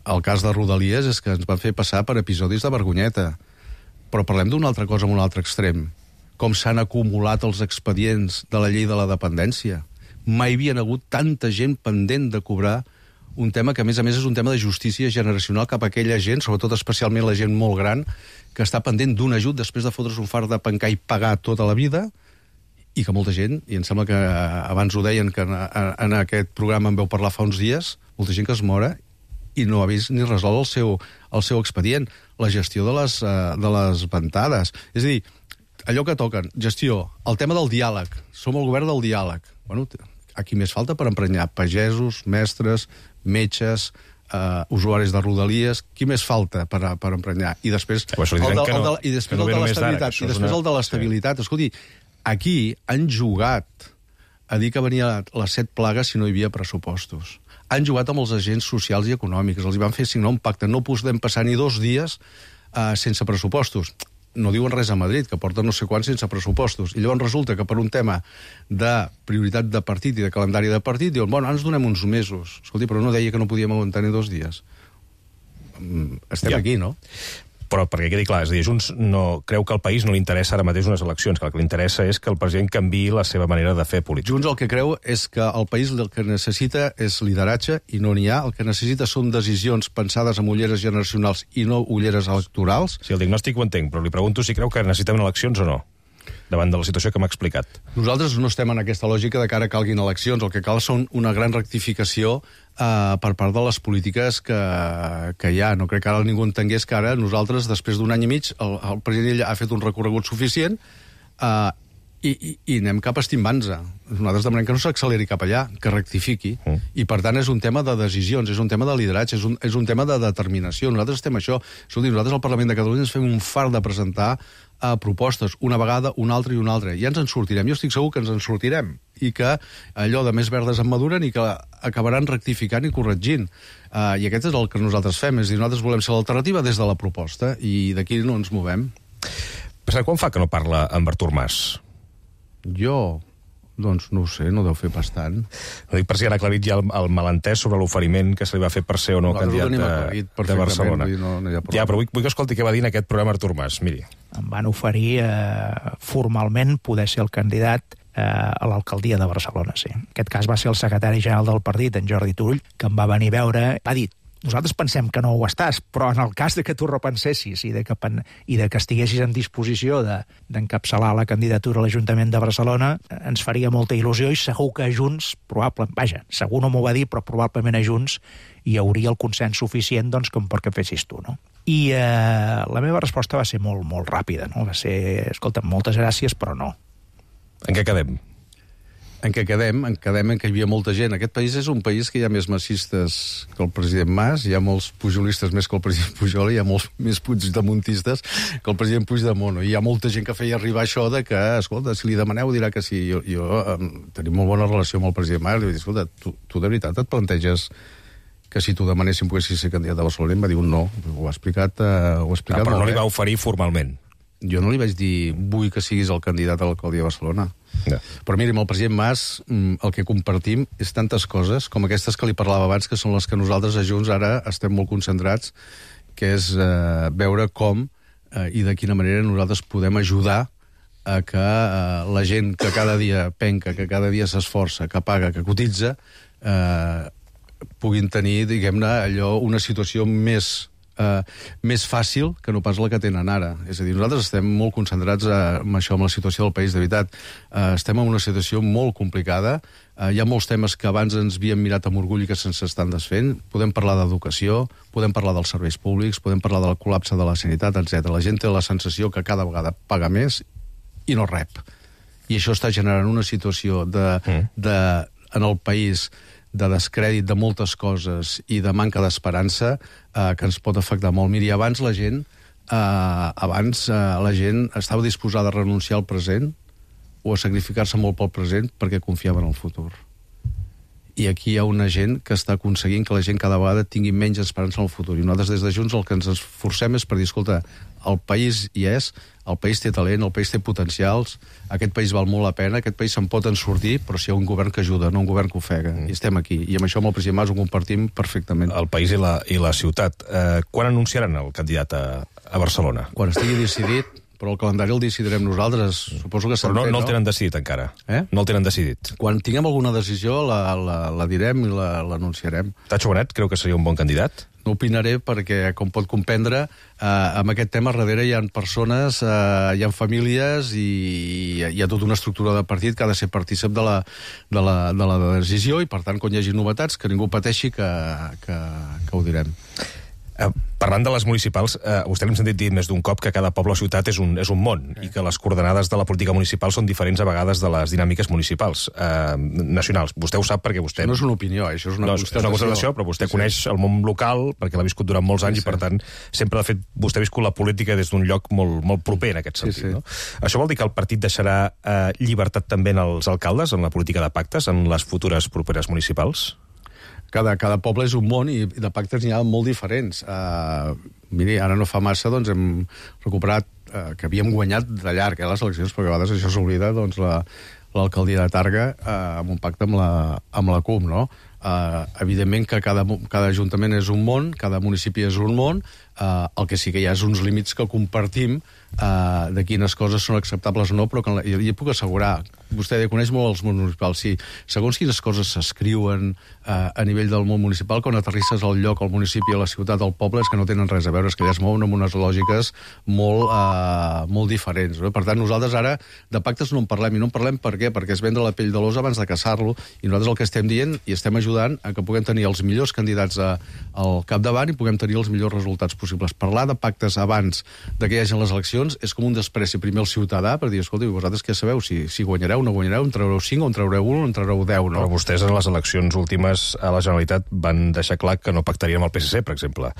El cas de Rodalies és que ens van fer passar per episodis de vergonyeta. Però parlem d'una altra cosa, amb un altre extrem. Com s'han acumulat els expedients de la llei de la dependència. Mai havien hagut tanta gent pendent de cobrar un tema que, a més a més, és un tema de justícia generacional cap a aquella gent, sobretot especialment la gent molt gran, que està pendent d'un ajut després de fotre's un fart de pencar i pagar tota la vida, i que molta gent, i em sembla que abans ho deien, que en, en aquest programa en veu parlar fa uns dies, molta gent que es mora i no ha vist ni resolt el seu, el seu expedient. La gestió de les, de les ventades. És a dir, allò que toquen, gestió, el tema del diàleg. Som el govern del diàleg. Bueno, aquí més falta per emprenyar pagesos, mestres, metges, uh, usuaris de Rodalies. Qui més falta per, per emprenyar? I després el de, el de, no, i després el de l'estabilitat. I després una... el de l'estabilitat. Sí. Escolti, aquí han jugat a dir que venia les set plagues si no hi havia pressupostos. Han jugat amb els agents socials i econòmics. Els hi van fer signar un pacte. No podem passar ni dos dies uh, sense pressupostos. No diuen res a Madrid, que porta no sé quants sense pressupostos. I llavors resulta que per un tema de prioritat de partit i de calendari de partit diuen, bueno, ens donem uns mesos. Escolti, però no deia que no podíem aguantar ni dos dies. Estem ja. aquí, no? Però, perquè quedi clar, és a dir, Junts no, creu que al país no li interessa ara mateix unes eleccions, que el que li interessa és que el president canviï la seva manera de fer política. Junts el que creu és que el país el que necessita és lideratge i no n'hi ha. El que necessita són decisions pensades amb ulleres generacionals i no ulleres electorals. Sí, el diagnòstic ho entenc, però li pregunto si creu que necessitem eleccions o no, davant de la situació que m'ha explicat. Nosaltres no estem en aquesta lògica de que ara calguin eleccions. El que cal són una gran rectificació eh, per part de les polítiques que, que hi ha. No crec que ara ningú entengués que ara nosaltres, després d'un any i mig, el, el president ha fet un recorregut suficient eh, i, i, i anem cap estimbant-se. Nosaltres demanem que no s'acceleri cap allà, que rectifiqui. Mm. I, per tant, és un tema de decisions, és un tema de lideratge, és un, és un tema de determinació. Nosaltres estem això. Escolti, nosaltres al Parlament de Catalunya ens fem un far de presentar a propostes, una vegada, una altra i una altra. Ja ens en sortirem, jo estic segur que ens en sortirem, i que allò de més verdes en maduren i que acabaran rectificant i corregint. Uh, I aquest és el que nosaltres fem, és a dir, nosaltres volem ser l'alternativa des de la proposta, i d'aquí no ens movem. Però quan fa que no parla amb Artur Mas? Jo... Doncs no ho sé, no deu fer bastant. No dic per si han aclarit ja el, el malentès sobre l'oferiment que se li va fer per ser o no candidat de, de Barcelona. No, no ja, però vull, vull que escolti què va dir en aquest programa Artur Mas. Miri. Em van oferir eh, formalment poder ser el candidat eh, a l'alcaldia de Barcelona, sí. En aquest cas va ser el secretari general del partit, en Jordi Turull, que em va venir a veure, va dir: nosaltres pensem que no ho estàs, però en el cas de que tu repensessis i de que, i de que estiguessis en disposició d'encapçalar de, la candidatura a l'Ajuntament de Barcelona, ens faria molta il·lusió i segur que a Junts, probablement, vaja, segur no m'ho va dir, però probablement a Junts hi hauria el consens suficient doncs, com perquè fessis tu, no? I eh, la meva resposta va ser molt, molt ràpida, no? Va ser, escolta, moltes gràcies, però no. En què quedem? En què quedem? En quedem en què hi havia molta gent. Aquest país és un país que hi ha més massistes que el president Mas, hi ha molts pujolistes més que el president Pujol, hi ha molts més puigdemontistes que el president Puigdemont. I hi ha molta gent que feia arribar això de que, escolta, si li demaneu dirà que sí. Jo, jo um, tenim molt bona relació amb el president Mas, li vaig dir, escolta, tu, tu de veritat et planteges que si tu demanéssim poguessis ser candidat a Barcelona? Em va dir un no. Ho ha explicat, uh, ho ha explicat ah, però molt no li bé. va oferir formalment. Jo no li vaig dir, vull que siguis el candidat a l'alcaldia de Barcelona. Ja. Però miri, amb el president Mas el que compartim és tantes coses com aquestes que li parlava abans, que són les que nosaltres a Junts ara estem molt concentrats, que és eh, veure com eh, i de quina manera nosaltres podem ajudar a que eh, la gent que cada dia penca, que cada dia s'esforça, que paga, que cotitza, eh, puguin tenir, diguem-ne, allò, una situació més... Uh, més fàcil que no pas la que tenen ara. És a dir, nosaltres estem molt concentrats uh, amb això, amb la situació del país, de veritat. Uh, estem en una situació molt complicada. Uh, hi ha molts temes que abans ens havíem mirat amb orgull i que se'ns estan desfent. Podem parlar d'educació, podem parlar dels serveis públics, podem parlar del col·lapse de la sanitat, etcètera. La gent té la sensació que cada vegada paga més i no rep. I això està generant una situació de, mm. de, en el país de descrèdit de moltes coses i de manca d'esperança eh, que ens pot afectar molt. Miri, abans la gent eh, abans eh, la gent estava disposada a renunciar al present o a sacrificar-se molt pel present perquè confiava en el futur. I aquí hi ha una gent que està aconseguint que la gent cada vegada tingui menys esperança en el futur. I nosaltres des de Junts el que ens esforcem és per dir, escolta, el país hi és, el país té talent, el país té potencials, aquest país val molt la pena, aquest país se'n pot en sortir, però si hi ha un govern que ajuda, no un govern que ofega. Mm. I estem aquí. I amb això amb el president Mas ho compartim perfectament. El país i la, i la ciutat. Eh, quan anunciaran el candidat a, a Barcelona? Quan estigui decidit, però el calendari el decidirem nosaltres. Suposo que però no, no el tenen decidit encara. Eh? No el tenen decidit. Quan tinguem alguna decisió la, la, la direm i l'anunciarem. La, Tacho Bonet creu que seria un bon candidat? No opinaré perquè, com pot comprendre, eh, amb aquest tema darrere hi ha persones, eh, hi ha famílies i hi ha tota una estructura de partit que ha de ser partícip de la, de la, de la decisió i, per tant, quan hi hagi novetats, que ningú pateixi que, que, que ho direm. Eh, parlant de les municipals, eh, vostè l'hem sentit dir més d'un cop que cada poble o ciutat és un, és un món eh. i que les coordenades de la política municipal són diferents a vegades de les dinàmiques municipals eh, nacionals. Vostè ho sap perquè vostè... No és una opinió, això és una no, constatació. És una constatació, però vostè sí, coneix sí. el món local perquè l'ha viscut durant molts anys sí, sí. i, per tant, sempre, de fet, vostè ha viscut la política des d'un lloc molt, molt proper en aquest sentit. Sí, sí. No? Això vol dir que el partit deixarà eh, llibertat també en els alcaldes, en la política de pactes, en les futures properes municipals? Cada, cada poble és un món i de pactes n'hi ha molt diferents. Uh, miri, ara no fa massa doncs, hem recuperat uh, que havíem guanyat de llarg eh, les eleccions, perquè a vegades això s'oblida, doncs, l'alcaldia de Targa uh, amb un pacte amb la, amb la C U M, no? Uh, evidentment que cada, cada ajuntament és un món, cada municipi és un món, Uh, el que sí que hi ha és uns límits que compartim uh, de quines coses són acceptables o no, però que jo li puc assegurar, vostè coneix molt els món municipals, sí, segons quines coses s'escriuen uh, a nivell del món municipal, quan aterrisses al lloc, al municipi, a la ciutat, al poble, és que no tenen res a veure, és que allà es mouen amb unes lògiques molt, uh, molt diferents. No? Per tant, nosaltres ara de pactes no en parlem, i no en parlem per què? Perquè es vendre la pell de l'os abans de caçar-lo, i nosaltres el que estem dient i estem ajudant a que puguem tenir els millors candidats a, al capdavant i puguem tenir els millors resultats possibles. Parlar de pactes abans de que hi hagi les eleccions és com un despreci primer al ciutadà per dir, escolta, vosaltres què sabeu? Si, si guanyareu o no guanyareu, en traureu cinc o en traureu un o en traureu deu, no? Però vostès en les eleccions últimes a la Generalitat van deixar clar que no pactarien amb el P S C, per exemple.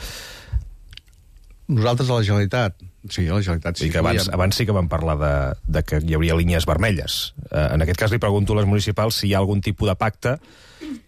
Nosaltres a la Generalitat, sí, a la Generalitat sí. I que abans, abans sí que vam parlar de, de que hi hauria línies vermelles. Eh, en aquest cas li pregunto a les municipals si hi ha algun tipus de pacte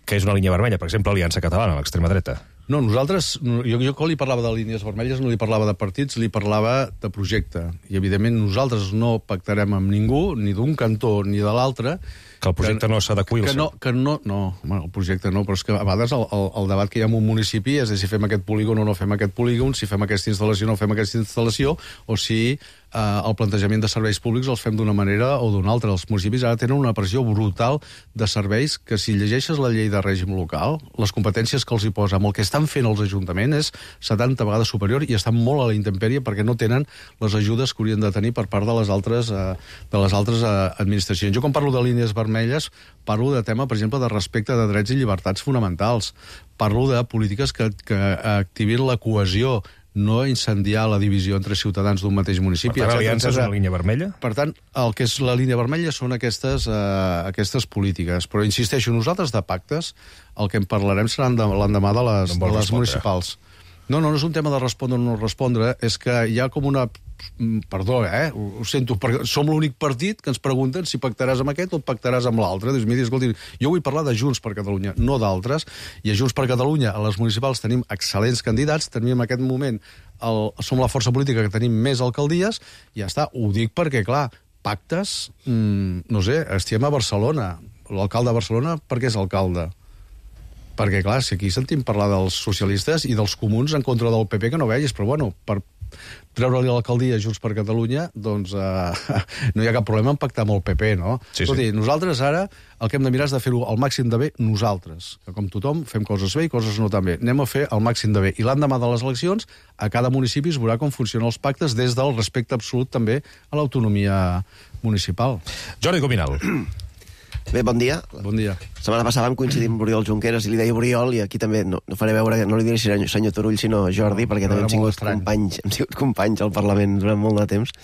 que és una línia vermella, per exemple, Aliança Catalana, l'extrema dreta. No, nosaltres, jo, jo quan li parlava de línies vermelles no li parlava de partits, li parlava de projecte. I, evidentment, nosaltres no pactarem amb ningú, ni d'un cantó ni de l'altre. Que el projecte que, no s'adequi al que no, que no, no, bueno, el projecte no, però és que a vegades el, el, el debat que hi ha en un municipi és de si fem aquest polígon o no fem aquest polígon, si fem aquesta instal·lació o no fem aquesta instal·lació, o si eh, el plantejament de serveis públics els fem d'una manera o d'una altra. Els municipis ara tenen una pressió brutal de serveis que, si llegeixes la llei de règim local, les competències que els hi posa amb el que estan fent els ajuntaments és setanta vegades superior i estan molt a la intempèrie perquè no tenen les ajudes que haurien de tenir per part de les altres, eh, de les altres eh, administracions. Jo, quan parlo de línies vermelles, parlo de tema, per exemple, de respecte de drets i llibertats fonamentals. Parlo de polítiques que, que activin la cohesió, no incendiar la divisió entre ciutadans d'un mateix municipi. Per tant, l'aliança és una línia vermella? Per tant, el que és la línia vermella són aquestes, eh, aquestes polítiques. Però, insisteixo, nosaltres de pactes, el que en parlarem serà l'endemà de les, no de les municipals. No, no, no és un tema de respondre o no respondre, és que hi ha com una... Perdó, eh? Ho sento, perquè som l'únic partit que ens pregunten si pactaràs amb aquest o pactaràs amb l'altre. Dius, mira, escolti, jo vull parlar de Junts per Catalunya, no d'altres, i a Junts per Catalunya, a les municipals, tenim excel·lents candidats, tenim en aquest moment, el, som la força política que tenim més alcaldies, i ja està, ho dic perquè, clar, pactes, mmm, no sé, estem a Barcelona, l'alcalde de Barcelona, per què és alcalde? Perquè, clar, si aquí sentim parlar dels socialistes i dels comuns en contra del P P, que no vegis, però bueno, per treure-li l'alcaldia a Junts per Catalunya, doncs eh, no hi ha cap problema en pactar amb el P P, no? Sí, Escolti, sí. Nosaltres ara el que hem de mirar és de fer-ho al màxim de bé nosaltres, que com tothom fem coses bé i coses no tan bé. Anem a fer el màxim de bé. I l'endemà de les eleccions, a cada municipi es veurà com funcionen els pactes des del respecte absolut també a l'autonomia municipal. Jordi Cuminal. Bé, bon dia. Bon dia. La setmana passada vam coincidir amb Oriol Junqueras i li deia Oriol, i aquí també no, no faré veure, no li diré senyor, senyor Turull, sinó Jordi, no, perquè també hem sigut, companys, hem sigut companys al Parlament durant molt de temps.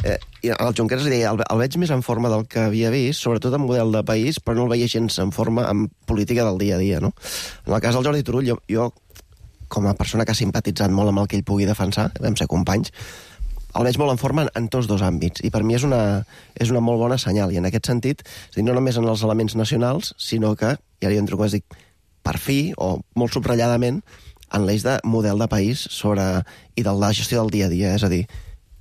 Eh, I el Junqueras li deia, el, el veig més en forma del que havia vist, sobretot en model de país, però no el veia gens en forma en política del dia a dia, no? En el cas del Jordi Turull, jo, jo com a persona que ha simpatitzat molt amb el que ell pugui defensar, vam ser companys, el veig molt en forma en, en tots dos àmbits, i per mi és una, és una molt bona senyal, i en aquest sentit, és dir, no només en els elements nacionals, sinó que, i ara jo entro, com es dic, per fi, o molt subratlladament, en l'eix de model de país sobre, i de la gestió del dia a dia, és a dir,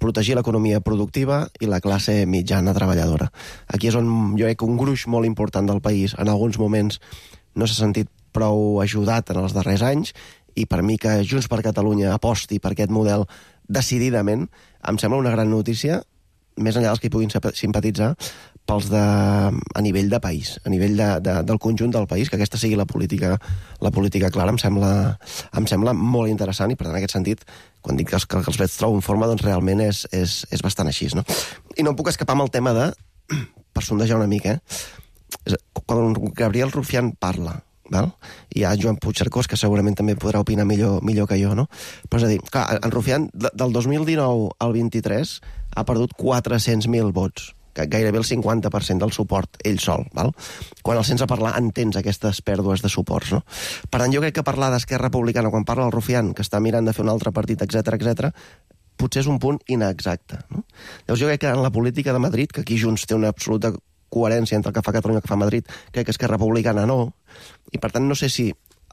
protegir l'economia productiva i la classe mitjana treballadora. Aquí és on jo crec que un gruix molt important del país, en alguns moments, no s'ha sentit prou ajudat en els darrers anys, i per mi que Junts per Catalunya aposti per aquest model decididament, em sembla una gran notícia, més enllà dels que hi puguin simpatitzar, pels de, a nivell de país, a nivell de, de, del conjunt del país, que aquesta sigui la política, la política clara, em sembla, em sembla molt interessant, i per tant, en aquest sentit, quan dic que els, que els veig trobo en forma, doncs realment és, és, és bastant així, no? I no em puc escapar amb el tema de, per sondejar una mica, eh? Quan Gabriel Rufián parla, val? Hi ha Joan Puigcercós, que segurament també podrà opinar millor, millor que jo, no? Però és a dir, clar, en Rufián, del dos mil dinou al vint-i-tres, ha perdut quatre-cents mil vots, que gairebé el cinquanta per cent del suport, ell sol, val? Quan el sents a parlar entens aquestes pèrdues de suports, no? Per tant, jo crec que parlar d'Esquerra Republicana, quan parla el Rufián, que està mirant de fer un altre partit, etcètera, etcètera, potser és un punt inexacte, no? Llavors jo crec que en la política de Madrid, que aquí Junts té una absoluta coherència entre el que fa Catalunya i el que fa Madrid, crec que Esquerra Republicana no, i per tant no sé si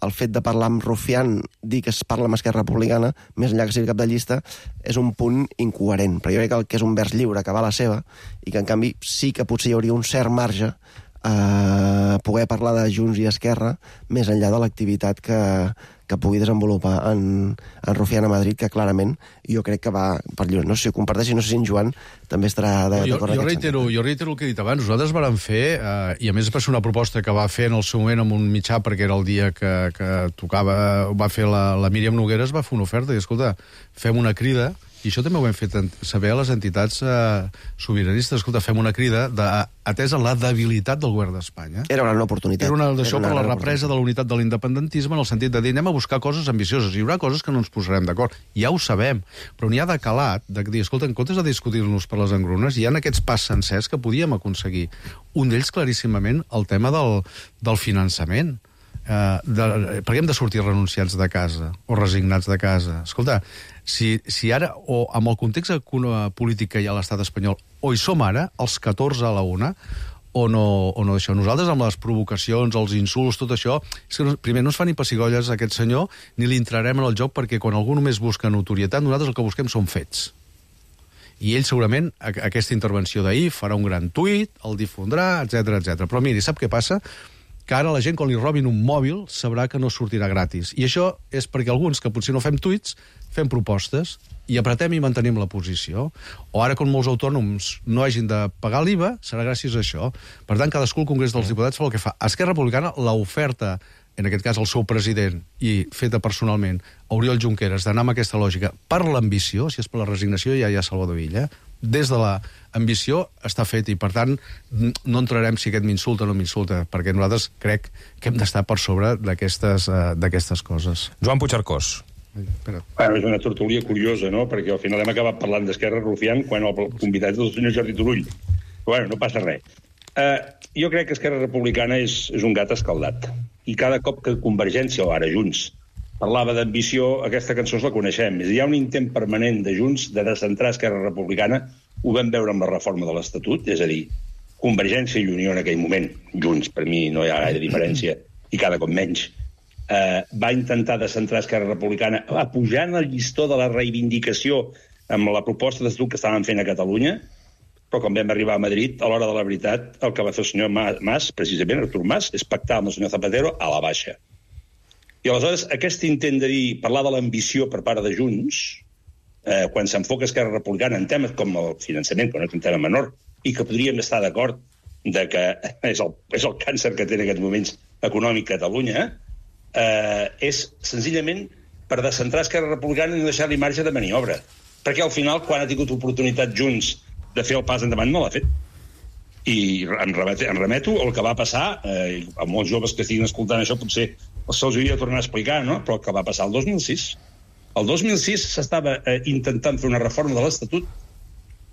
el fet de parlar amb Rufián, dir que es parla amb Esquerra Republicana, més enllà que sigui cap de llista, és un punt incoherent, però jo crec que és un vers lliure que va a la seva, i que en canvi sí que potser hi hauria un cert marge eh, poder parlar de Junts i Esquerra més enllà de l'activitat que, que pugui desenvolupar en, en Rufián a Madrid, que clarament jo crec que va per lluny. No sé si ho comparteixi, no sé si en Joan també estarà d'acord. Jo, jo, reitero, jo reitero el que he dit abans. Nosaltres vàrem fer, eh, i a més va ser una proposta que va fer en el seu moment amb un mitjà, perquè era el dia que, que tocava, va fer la, la Míriam Nogueres, va fer una oferta, i escolta, fem una crida, i això també ho hem fet saber a les entitats eh, sobiranistes. Escolta, fem una crida de, atès en la debilitat del govern d'Espanya. Era una oportunitat. Era una d'això per la represa de la unitat de l'independentisme, en el sentit de dir, anem a buscar coses ambicioses. Hi haurà coses que no ens posarem d'acord. Ja ho sabem. Però n'hi ha de calat, de dir, escolta, en comptes de discutir-nos per les engrunes, hi ha aquests pas sencers que podíem aconseguir. Un d'ells, claríssimament, el tema del, del finançament. Uh, de, per què hem de sortir renunciats de casa o resignats de casa? Escolta, si, si ara, o amb el context polític que hi ha a l'estat espanyol, o hi som ara, els catorze a la una, o no, o no això. Nosaltres, amb les provocacions, els insults, tot això, és que no, primer no es fa ni pessigolles a aquest senyor, ni li entrarem en el joc, perquè quan algú només busca notorietat, nosaltres el que busquem són fets. I ell segurament, a, aquesta intervenció d'ahir, farà un gran tuit, el difondrà, etcètera, etcètera. Però miri, sap què passa? Que ara la gent, quan li robin un mòbil, sabrà que no sortirà gratis. I això és perquè alguns, que potser no fem tuits, fem propostes i apretem i mantenim la posició. O ara, quan molts autònoms no hagin de pagar l'I V A, serà gràcies a això. Per tant, cadascú al Congrés dels Diputats fa el que fa. A Esquerra Republicana, l'oferta, en aquest cas el seu president, i feta personalment, a Oriol Junqueras, d'anar amb aquesta lògica per l'ambició, si és per la resignació, ja hi ha Salvador Illa, des de l'ambició està fet, i per tant no entrarem si aquest m'insulta o no m'insulta, perquè nosaltres crec que hem d'estar per sobre d'aquestes uh, d'aquestes coses. Joan Puigcercós. Bueno, és una tertúlia curiosa, no? Perquè al final hem acabat parlant d'Esquerra Rufián quan el convidat és el senyor Jordi Turull. Però bueno, no passa res. Uh, jo crec que Esquerra Republicana és, és un gat escaldat. I cada cop que Convergència, o ara Junts, parlava d'ambició, aquesta cançó la coneixem. Hi ha un intent permanent de Junts de descentrar Esquerra Republicana. Ho vam veure amb la reforma de l'Estatut, és a dir, Convergència i Unió en aquell moment, Junts, per mi no hi ha gaire diferència, i cada cop menys, eh, va intentar descentrar Esquerra Republicana, apujant el llistó de la reivindicació amb la proposta d'Estatut que estaven fent a Catalunya, però quan vam arribar a Madrid, a l'hora de la veritat, el que va fer el senyor Mas, precisament Artur Mas, és pactar amb el senyor Zapatero a la baixa. I aleshores, aquest intent de dir, parlar de l'ambició per part de Junts, eh, quan s'enfoca Esquerra Republicana en temes com el finançament, que no és un tema menor, i que podríem estar d'acord de que és el, és el càncer que té en aquests moments econòmic Catalunya, eh, és senzillament per descentrar Esquerra Republicana i no deixar-li marge de maniobra. Perquè al final, quan ha tingut oportunitat Junts de fer el pas endavant, no l'ha fet. I em remeto, em remeto al que va passar, eh, a molts joves que estiguin escoltant això, potser se'ls hauria de tornar a explicar, no? Però el que va passar el dos mil sis. El dos mil sis s'estava eh, intentant fer una reforma de l'Estatut,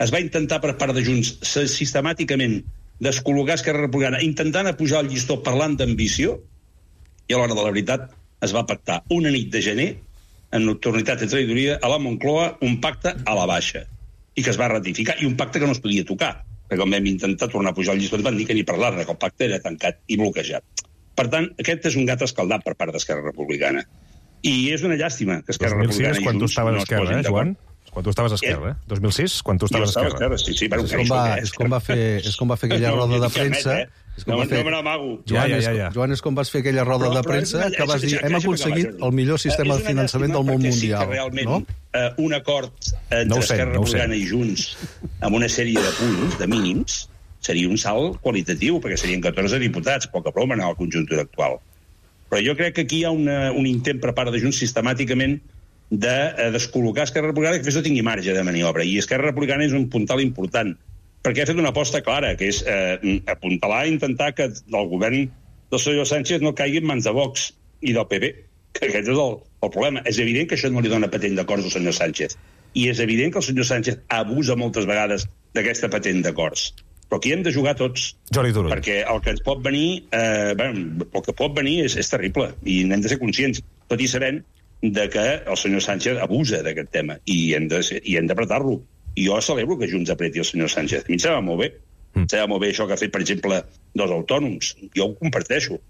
es va intentar per part de Junts sistemàticament descol·locar Esquerra Republicana, intentant apujar el llistó parlant d'ambició, i a l'hora de la veritat es va pactar una nit de gener, en nocturnitat i traïdoria, a la Moncloa, un pacte a la baixa, i que es va ratificar, i un pacte que no es podia tocar, perquè quan vam intentar tornar a pujar el llistó van dir que ni parlar-ne, que el pacte era tancat i bloquejat. Per tant, aquest és un gat escaldat per part d'Esquerra Republicana. I és una llàstima que Esquerra Republicana i Junts no es posin d'acord. Joan? Quan tu estaves a Esquerra, eh? dos mil sis, quan tu estaves a Esquerra. Sí, sí, però és, com va, és, com va fer, és com va fer aquella roda de premsa... No, no me n'amago. Joan, ja, ja, ja. Joan, és com vas fer aquella roda de premsa que vas dir, hem aconseguit el millor sistema de finançament del món mundial. Sí, realment, un acord entre Esquerra Republicana i Junts amb una sèrie de punts, de mínims, seria un salt qualitatiu, perquè serien catorze diputats, poca broma en la conjuntura actual. Però jo crec que aquí hi ha una, un intent per part de Junts sistemàticament de eh, descol·locar Esquerra Republicana que no tingui marge de maniobra. I Esquerra Republicana és un puntal important, perquè ha fet una aposta clara, que és eh, apuntalar i intentar que el govern del senyor Sánchez no caigui en mans de Vox i del P P, que aquest és el, el problema. És evident que això no li dona patent d'acords al senyor Sánchez, i és evident que el senyor Sánchez abusa moltes vegades d'aquesta patent d'acords. Però aquí hem de jugar tots. Jordi Turull. Perquè el que ens pot venir, eh, bé, el que pot venir és, és terrible, i n'hem de ser conscients, tot i sabent de que el senyor Sánchez abusa d'aquest tema, i hem de, i hem d'apretar-lo. I jo celebro que Junts apreti el senyor Sánchez. A mi em sembla molt bé. Mm. Em sembla molt bé això que ha fet, per exemple, dels autònoms. Jo ho comparteixo.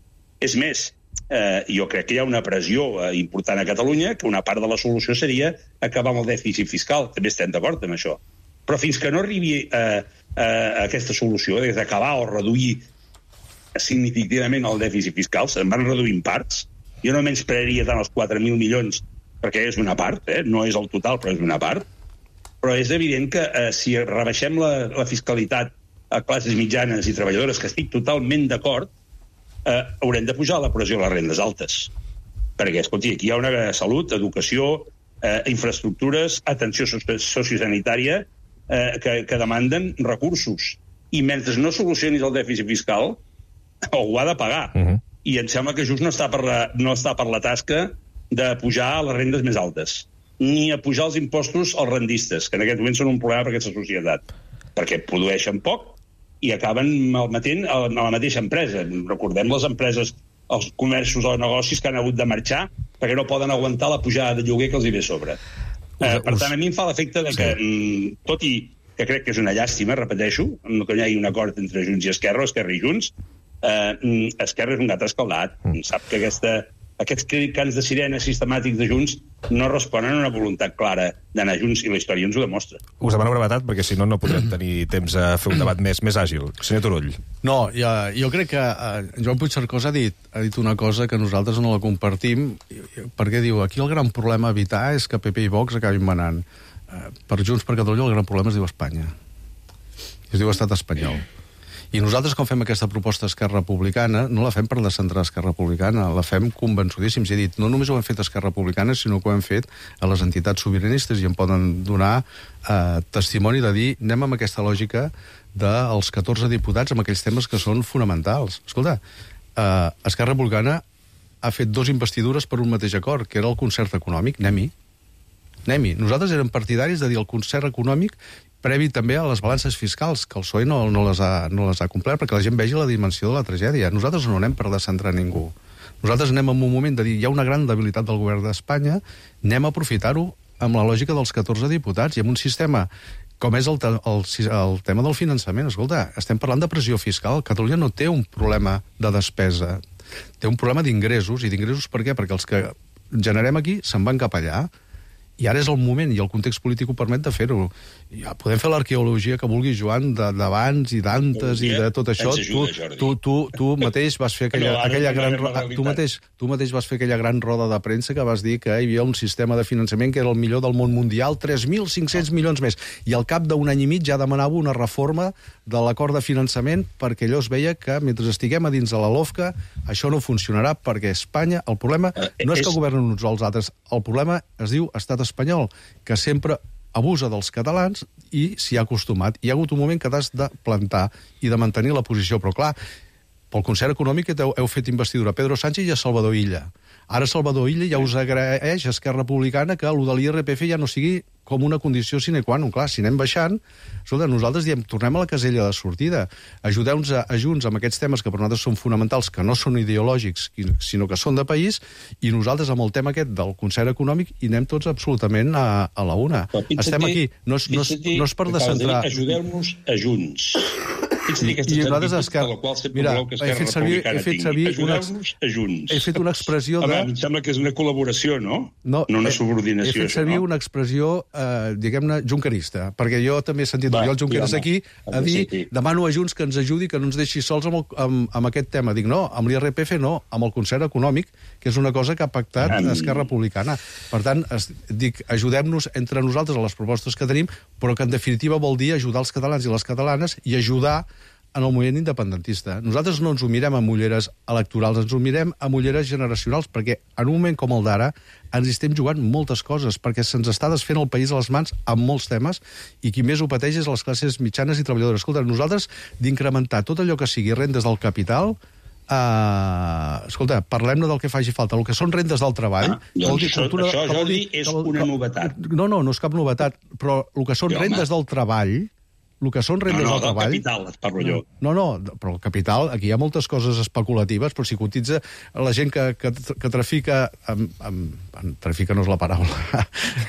És més, eh, jo crec que hi ha una pressió eh, important a Catalunya, que una part de la solució seria acabar amb el dèficit fiscal. També estem d'acord amb això. Però fins que no arribi eh, a aquesta solució, d'acabar o reduir significativament el dèficit fiscal, se'n van reduir en parts. Jo no menysprearia tant els quatre mil milions, perquè és una part, eh? No és el total, però és una part. Però és evident que eh, si rebaixem la, la fiscalitat a classes mitjanes i treballadores, que estic totalment d'acord, eh, haurem de pujar la pressió a les rendes altes. Perquè, escolti, aquí hi ha una salut, educació, eh, infraestructures, atenció sociosanitària, eh, que, que demanden recursos. I mentre no solucionis el dèficit fiscal, ho ha de pagar. Uh-huh. I em sembla que just no està, per la, no està per la tasca de pujar a les rendes més altes, ni a pujar els impostos als rendistes, que en aquest moment són un problema per aquesta societat, perquè produeixen poc i acaben malmetent a la mateixa empresa. Recordem les empreses, els comerços o negocis que han hagut de marxar perquè no poden aguantar la pujada de lloguer que els hi ve a sobre. Eh, per tant, a mi em fa l'efecte de que, sí. tot i que crec que és una llàstima, repeteixo, que no hi hagi un acord entre Junts i Esquerra, o Esquerra i Junts, eh, Esquerra és un gat escaldat. Mm. Sap que aquesta, aquests cants de sirena sistemàtics de Junts no responen a una voluntat clara d'anar Junts, i la història ens ho demostra. Us demano brevetat, perquè si no, no podrem tenir temps a fer un debat més, més àgil. Senyor Turull. No, ja, jo crec que eh, Joan Puigcercós ha dit, ha dit una cosa que nosaltres no la compartim, perquè diu, aquí el gran problema a evitar és que P P i Vox acabin manant. Eh, per Junts per Catalunya el gran problema es diu Espanya. Es diu Estat espanyol. I nosaltres, quan fem aquesta proposta a Esquerra Republicana, no la fem per descentrar Esquerra Republicana, la fem convençudíssims. I he dit, no només ho hem fet a Esquerra Republicana, sinó que ho hem fet a les entitats sobiranistes, i em poden donar eh, testimoni de dir, anem amb aquesta lògica dels catorze diputats amb aquells temes que són fonamentals. Escolta, eh, Esquerra Republicana ha fet dos investidures per un mateix acord, que era el concert econòmic. Anem-hi. Anem-hi. Nosaltres érem partidaris de dir el concert econòmic previ també a les balances fiscals, que el P S O E no, no, les ha, no les ha complert, perquè la gent vegi la dimensió de la tragèdia. Nosaltres no anem per descentrar ningú. Nosaltres anem en un moment de dir, hi ha una gran debilitat del govern d'Espanya, anem a aprofitar-ho amb la lògica dels catorze diputats i amb un sistema com és el, el, el tema del finançament. Escolta, estem parlant de pressió fiscal. Catalunya no té un problema de despesa, té un problema d'ingressos. I d'ingressos per què? Perquè els que generem aquí se'n van cap allà. I ara és el moment, i el context polític ho permet de fer-ho. Ja podem fer l'arqueologia que vulgui, Joan, d'abans i d'antes i de tot això. Tu, tu, tu, tu mateix vas fer aquella, no, aquella gran... Tu mateix, tu mateix vas fer aquella gran roda de premsa que vas dir que hi havia un sistema de finançament que era el millor del món mundial, tres mil cinc-cents milions més. I al cap d'un any i mig ja demanava una reforma de l'acord de finançament perquè allò es veia que mentre estiguem a dins de la LOFCA això no funcionarà, perquè Espanya, el problema no és que governen uns o els altres, el problema es diu Estat espanyol, que sempre abusa dels catalans i s'hi ha acostumat. Hi ha hagut un moment que t'has de plantar i de mantenir la posició, però clar, pel concert econòmic heu, heu fet investidura a Pedro Sánchez i a Salvador Illa. Ara Salvador Illa ja us agraeix a Esquerra Republicana que allò de l'I R P F ja no sigui com una condició sine qua non. Clar, si anem baixant, escolta, nosaltres diem, tornem a la casella de sortida. Ajudeu-nos a, a Junts amb aquests temes que per nosaltres són fonamentals, que no són ideològics, sinó que són de país, i nosaltres amb el tema aquest del concert econòmic hi anem tots absolutament a, a la una. Estem aquí. No és, no és, no és per descentrar... Ajudeu-nos a Junts. I, i nosaltres Esquerra... Mira, he fet servir, he fet servir una, he fet una expressió de... Home, em sembla que és una col·laboració, no? No, no una subordinació. He fet servir no? una expressió, eh, diguem-ne, junquerista, perquè jo també he sentit Oriol Junqueras aquí a dir, sí, sí. demano a Junts que ens ajudi, que no ens deixi sols amb, el, amb, amb aquest tema. Dic, no, amb l'I R P F no, amb el concert econòmic, que és una cosa que ha pactat ah, Esquerra Republicana. Per tant, es, dic, ajudem-nos entre nosaltres a les propostes que tenim, però que en definitiva vol dir ajudar els catalans i les catalanes i ajudar en el moviment independentista. Nosaltres no ens ho mirem amb ulleres electorals, ens ho mirem amb ulleres generacionals, perquè en un moment com el d'ara ens estem jugant moltes coses, perquè se'ns està desfent el país a les mans amb molts temes, i qui més ho pateix és les classes mitjanes i treballadores. Escolta, nosaltres d'incrementar tot allò que sigui rendes del capital, Uh, escolta, parlem-ne del que faci falta. El que són rendes del treball... Ah, doncs dir, això, cultura, això, Jordi, dir, és una novetat. No, no, no és cap novetat, però el que són jo, rendes home. del treball... El que són rendes no, no, del treball... No, no, del capital, et parlo jo. No, no, però el capital, aquí hi ha moltes coses especulatives, però si cotitza la gent que, que, que trafica... Amb, amb, amb, trafica no és la paraula,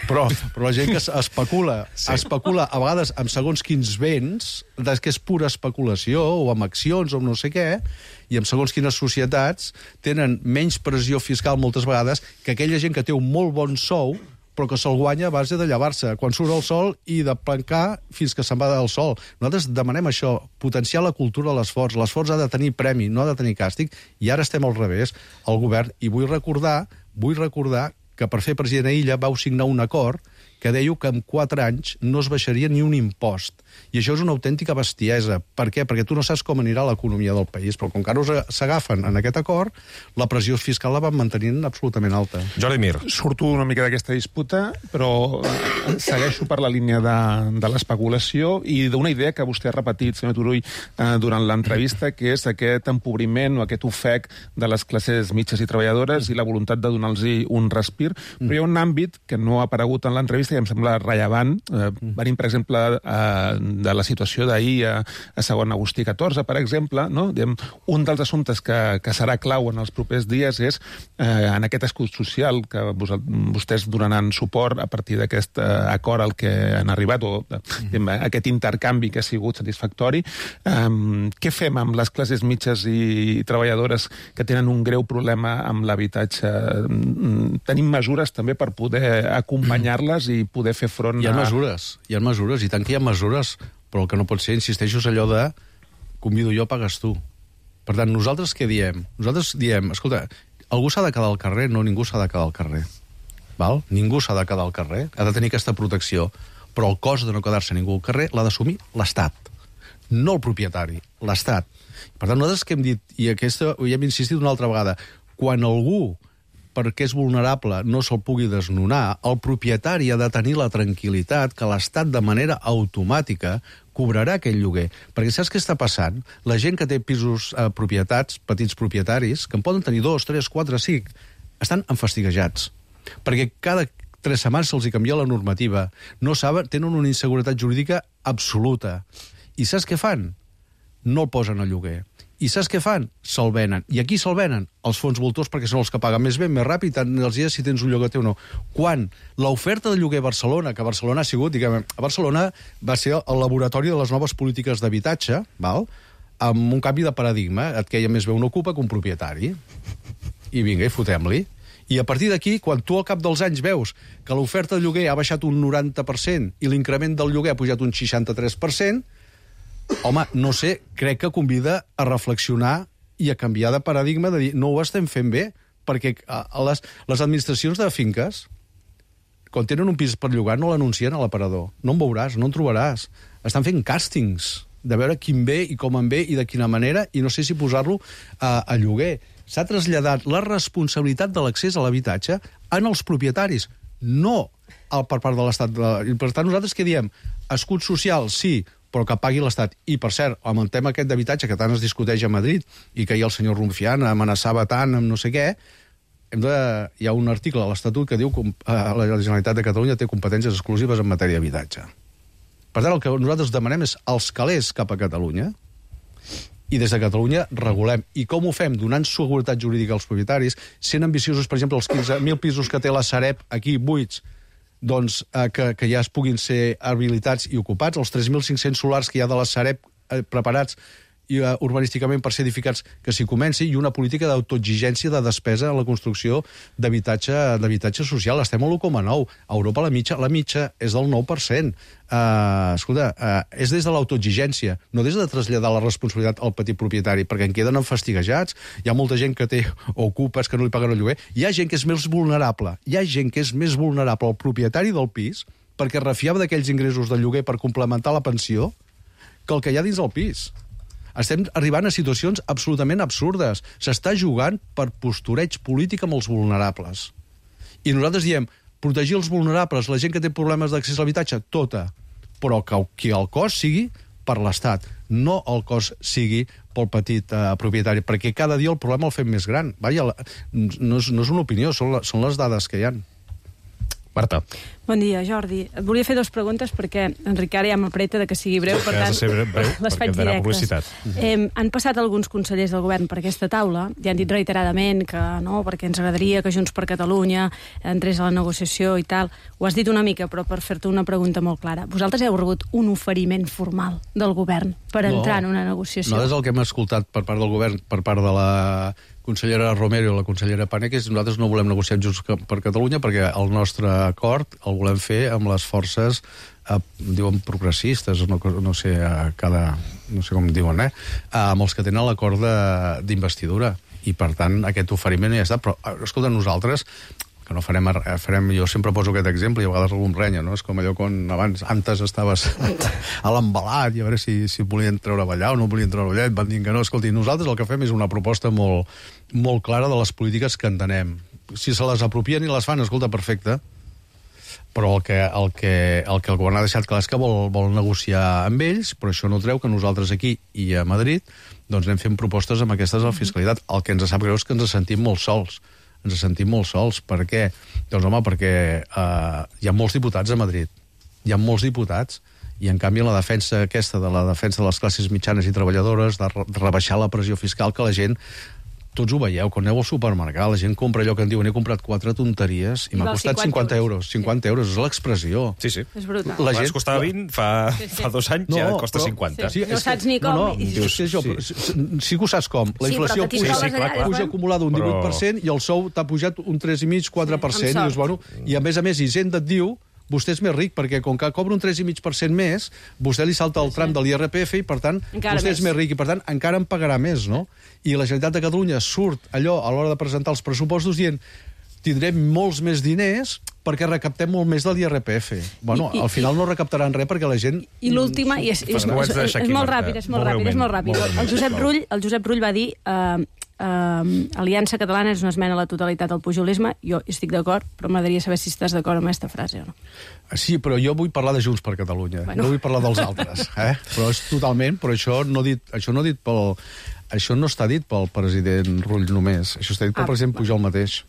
però, però la gent que especula, sí. especula a vegades amb segons quins béns, que és pura especulació, o amb accions, o amb no sé què, i amb segons quines societats tenen menys pressió fiscal moltes vegades que aquella gent que té un molt bon sou però que se'l guanya a base de llevar-se quan surt el sol i de plancar fins que se'n va del sol. Nosaltres demanem això, potenciar la cultura de l'esforç. L'esforç ha de tenir premi, no ha de tenir càstig, i ara estem al revés, al govern. I vull recordar, vull recordar que per fer president a Illa vau signar un acord que dèieu que en quatre anys no es baixaria ni un impost. I això és una autèntica bestiesa. Per què? Perquè tu no saps com anirà l'economia del país, però com que ara s'agafen en aquest acord, la pressió fiscal la van mantenint absolutament alta. Jordi Mir. Surto una mica d'aquesta disputa, però segueixo per la línia de, de l'especulació i d'una idea que vostè ha repetit, senyor Turull, eh, durant l'entrevista, que és aquest empobriment o aquest ofec de les classes mitges i treballadores i la voluntat de donar-los un respir. Però hi ha un àmbit que no ha aparegut en l'entrevista i em sembla rellevant. Eh, venim, per exemple, eh, de la situació d'ahir a, a segon Agustí catorze, per exemple, no? Diem, un dels assumptes que, que serà clau en els propers dies és eh, en aquest escut social que vos, vostès donaran suport a partir d'aquest eh, acord al que han arribat, o diem, aquest intercanvi que ha sigut satisfactori. Eh, què fem amb les classes mitges i treballadores que tenen un greu problema amb l'habitatge? Tenim mesures també per poder acompanyar-les i poder fer front a... Hi ha mesures, hi ha mesures, i tant que hi ha mesures, però el que no pot ser, insisteixo, és allò de convido jo, pagues tu. Per tant, nosaltres què diem? Nosaltres diem, escolta, algú s'ha de quedar al carrer? No, ningú s'ha de quedar al carrer. Val? Ningú s'ha de quedar al carrer, ha de tenir aquesta protecció, però el cost de no quedar-se ningú al carrer l'ha d'assumir l'Estat, no el propietari, l'Estat. Per tant, nosaltres que hem dit, i aquesta ho hem insistit una altra vegada, quan algú perquè és vulnerable no se'l pugui desnonar, el propietari ha de tenir la tranquil·litat que l'Estat de manera automàtica cobrarà aquell lloguer. Perquè saps què està passant? La gent que té pisos eh, propietats, petits propietaris, que en poden tenir dos, tres, quatre, cinc, estan enfastiguejats. Perquè cada tres setmanes se'ls canvia la normativa. No saben, tenen una inseguretat jurídica absoluta. I saps què fan? No el posen a lloguer. I saps què fan? Se'l venen. I aquí se'l venen els fons voltors perquè són els que paguen més bé, més ràpid, tant els dies si tens un lloguer o no. Quan l'oferta de lloguer a Barcelona, que a Barcelona ha sigut, diguem, a Barcelona va ser el laboratori de les noves polítiques d'habitatge, val? Amb un canvi de paradigma, et queia més bé un ocupa que un propietari. I vinga, i fotem-li. I a partir d'aquí, quan tu al cap dels anys veus que l'oferta de lloguer ha baixat un noranta per cent i l'increment del lloguer ha pujat un seixanta-tres per cent, home, no sé, crec que convida a reflexionar i a canviar de paradigma, de dir, no ho estem fent bé, perquè a les, les administracions de finques, quan tenen un pis per llogar, no l'anuncien a l'aparador. No en veuràs, no en trobaràs. Estan fent càstings de veure quin ve i com en ve i de quina manera, i no sé si posar-lo a, a lloguer. S'ha traslladat la responsabilitat de l'accés a l'habitatge en els propietaris, no al, per part de l'Estat. I per tant, nosaltres què diem? Escut social, sí, però que pagui l'Estat. I, per cert, amb el tema aquest d'habitatge que tant es discuteix a Madrid i que hi ha el senyor Rufián amenaçava tant amb no sé què, hem de... hi ha un article a l'Estatut que diu que la Generalitat de Catalunya té competències exclusives en matèria d'habitatge. Per tant, el que nosaltres demanem és els calés cap a Catalunya i des de Catalunya regulem. I com ho fem? Donant seguretat jurídica als propietaris, sent ambiciosos, per exemple, els quinze mil pisos que té la Sareb aquí buits, doncs, eh, que, que ja es puguin ser habilitats i ocupats, els tres mil cinc-cents solars que hi ha de la Sareb eh, preparats i, uh, urbanísticament per ser edificats, que s'hi comenci, i una política d'autoexigència de despesa en la construcció d'habitatge d'habitatge social. Estem a l'u coma nou. A Europa la mitja, la mitja és del nou per cent. Uh, escolta, uh, és des de l'autoexigència, no des de traslladar la responsabilitat al petit propietari, perquè en queden enfastigejats. Hi ha molta gent que té ocupes que no li paguen el lloguer. Hi ha gent que és més vulnerable. Hi ha gent que és més vulnerable al propietari del pis perquè refiava d'aquells ingressos del lloguer per complementar la pensió que el que hi ha dins del pis. Estem arribant a situacions absolutament absurdes. S'està jugant per postureig polític amb els vulnerables. I nosaltres diem, protegir els vulnerables, la gent que té problemes d'accés a l'habitatge, tota. Però que, que el cost sigui per l'Estat, no el cost sigui pel petit eh, propietari, perquè cada dia el problema el fem més gran. Vaja, la, no, és, no és una opinió, són, la, són les dades que hi ha. Marta. Bon dia, Jordi. Et volia fer dues preguntes perquè en Ricard ja m'apreta de que sigui breu, per tant, breu, les faig directes. Eh, han passat alguns consellers del govern per aquesta taula i han dit reiteradament que no, perquè ens agradaria que Junts per Catalunya entrés a la negociació i tal. Ho has dit una mica, però per fer-te una pregunta molt clara. Vosaltres heu rebut un oferiment formal del govern per entrar no, en una negociació. Nosaltres el que hem escoltat per part del govern, per part de la consellera Romero i la consellera Paneque, és que nosaltres no volem negociar amb Junts per Catalunya perquè el nostre acord el volem fer amb les forces, eh, diuen progressistes, no, no sé a cada, no sé com diuen, eh, amb els que tenen l'acord d'investidura. I, per tant, aquest oferiment ja està. Però, escolta, nosaltres... que no farem, farem... Jo sempre poso aquest exemple i a vegades algú em renya, no? És com allò quan abans, antes estaves a l'embalat i a veure si, si volien treure allà o no volien treure allà, et van dir que no. Escolti, nosaltres el que fem és una proposta molt, molt clara de les polítiques que entenem. Si se les apropien i les fan, escolta, perfecte, però el que el, que, el, que el govern ha deixat clar és que vol, vol negociar amb ells, però això no treu que nosaltres aquí i a Madrid doncs anem fent propostes amb aquestes a la fiscalitat. El que ens sap greu és que ens sentim molt sols. Ens sentim molt sols. Per què? Doncs, home, perquè eh, hi ha molts diputats a Madrid. Hi ha molts diputats i, en canvi, la defensa aquesta de la defensa de les classes mitjanes i treballadores, de, re de rebaixar la pressió fiscal, que la gent... Tots ho veieu, quan aneu al supermercat, la gent compra allò que en diuen, he comprat quatre tonteries i, I m'ha costat cinquanta euros. cinquanta euros, és l'expressió. Sí, sí. És brutal. La gent costava vint, fa, sí, sí. fa dos anys no, ja costa però, cinquanta. Sí. No saps ni com. No, no, dius, sí, jo, sí. sí que ho saps com. La inflació sí, puja, sí, clar, clar. puja acumulada un divuit per cent i el sou t'ha pujat un tres coma cinc quatre per cent. Sí, i, dius, bueno, I, a més a més, Hisenda et diu vostè és més ric, perquè com que cobra un tres coma cinc per cent més, vostè li salta el tram de l'I R P F i, per tant, encara vostè més. és més ric i, per tant, encara en pagarà més, no? I la Generalitat de Catalunya surt allò a l'hora de presentar els pressupostos dient tindrem molts més diners perquè recaptem molt més de l'I R P F. Bueno, I, i, al final no recaptaran res perquè la gent... I l'última, i és, és, és, és, és molt ràpid, és molt ràpid, és molt ràpid. El Josep Rull, el Josep Rull va dir... Uh, Uh, Aliança Catalana és una esmena a la totalitat al pujolisme. Jo estic d'acord, però m'agradaria saber si estàs d'acord amb aquesta frase o no. Sí, però jo vull parlar de Junts per Catalunya, bueno. no vull parlar dels altres, eh? Però és totalment, però això no dit, això no dit pel, això no està dit pel president Rull només, això està dit pel ah, president Pujol mateix.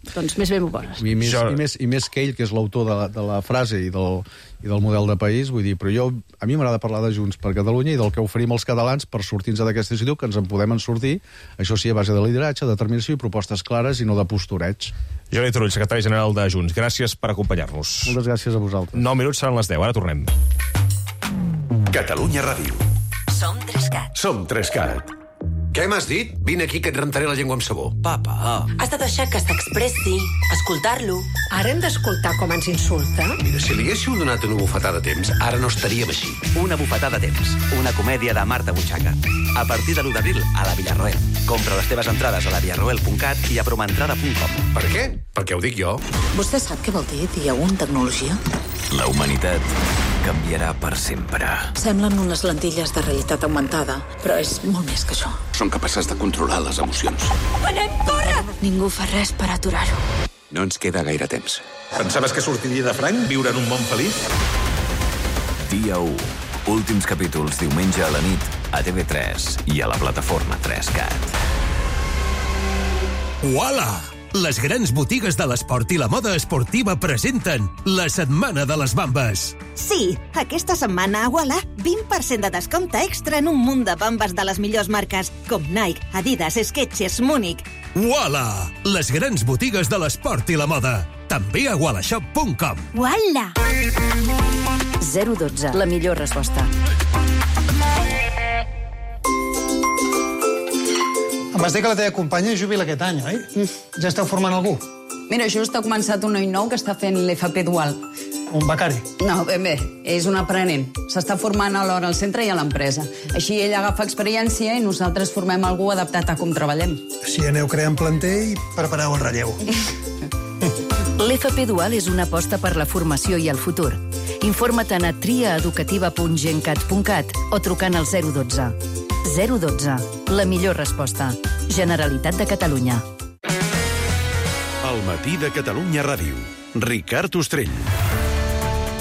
Doncs més bé m'ho poses. I més, i, més, I més que ell, que és l'autor de, de la frase i del, i del model de país, vull dir, però jo, a mi m'agrada parlar de Junts per Catalunya i del que oferim als catalans per sortir-nos d'aquesta situació, que ens en podem en sortir, això sí, a base de lideratge, determinació i propostes clares i no de postureig. Jordi Turull, secretari general de Junts, gràcies per acompanyar-nos. Moltes gràcies a vosaltres. nou minuts seran les deu, ara tornem. Catalunya Ràdio. Som Trescat. Som Trescat. Què m'has dit? Vine aquí que et rentaré la llengua amb sabó. Papa. Has de deixar que s'expressi, escoltar-lo. Ara hem d'escoltar com ens insulta? Mira, si li haguéssiu donat una bufetada a temps, ara no estaríem així. Una bufetada a temps. Una comèdia de Marta Butxaca. A partir de l'u d'abril, a la Villarroel. Compra les teves entrades a la villarroel punt cat i a promentrada punt com. Per què? Perquè ho dic jo. Vostè sap què vol dir dia u en tecnologia? La humanitat canviarà per sempre. Semblen unes lentilles de realitat augmentada, però és molt més que això. Són capaces de controlar les emocions. Anem, corre! Ningú fa res per aturar-ho. No ens queda gaire temps. Pensaves que sortiria de franc viure en un món feliç? Dia u. Últims capítols diumenge a la nit a T V tres i a la plataforma Trescat. Uala! Les grans botigues de l'esport i la moda esportiva presenten la Setmana de les Bambes. Sí, aquesta setmana a Walla, vint per cent de descompte extra en un munt de bambes de les millors marques, com Nike, Adidas, Skechers, Múnich. Uala! Les grans botigues de l'esport i la moda. També a walla shop punt com. Uala! zero dotze, la millor resposta. Em vas dir que la teva companya jubila aquest any, oi? Mm. Ja esteu formant algú? Mira, just ha començat un noi nou que està fent l'F P dual. Un becari? No, ben bé, és un aprenent. S'està formant alhora al centre i a l'empresa. Així ell agafa experiència i nosaltres formem algú adaptat a com treballem. Així aneu creant planter i prepareu el relleu. L'F P dual és una aposta per la formació i el futur. Informa't a triaeducativa punt gencat punt cat o trucant al zero dotze. zero dotze. La millor resposta. Generalitat de Catalunya. El matí de Catalunya Ràdio. Ricard Ostrell.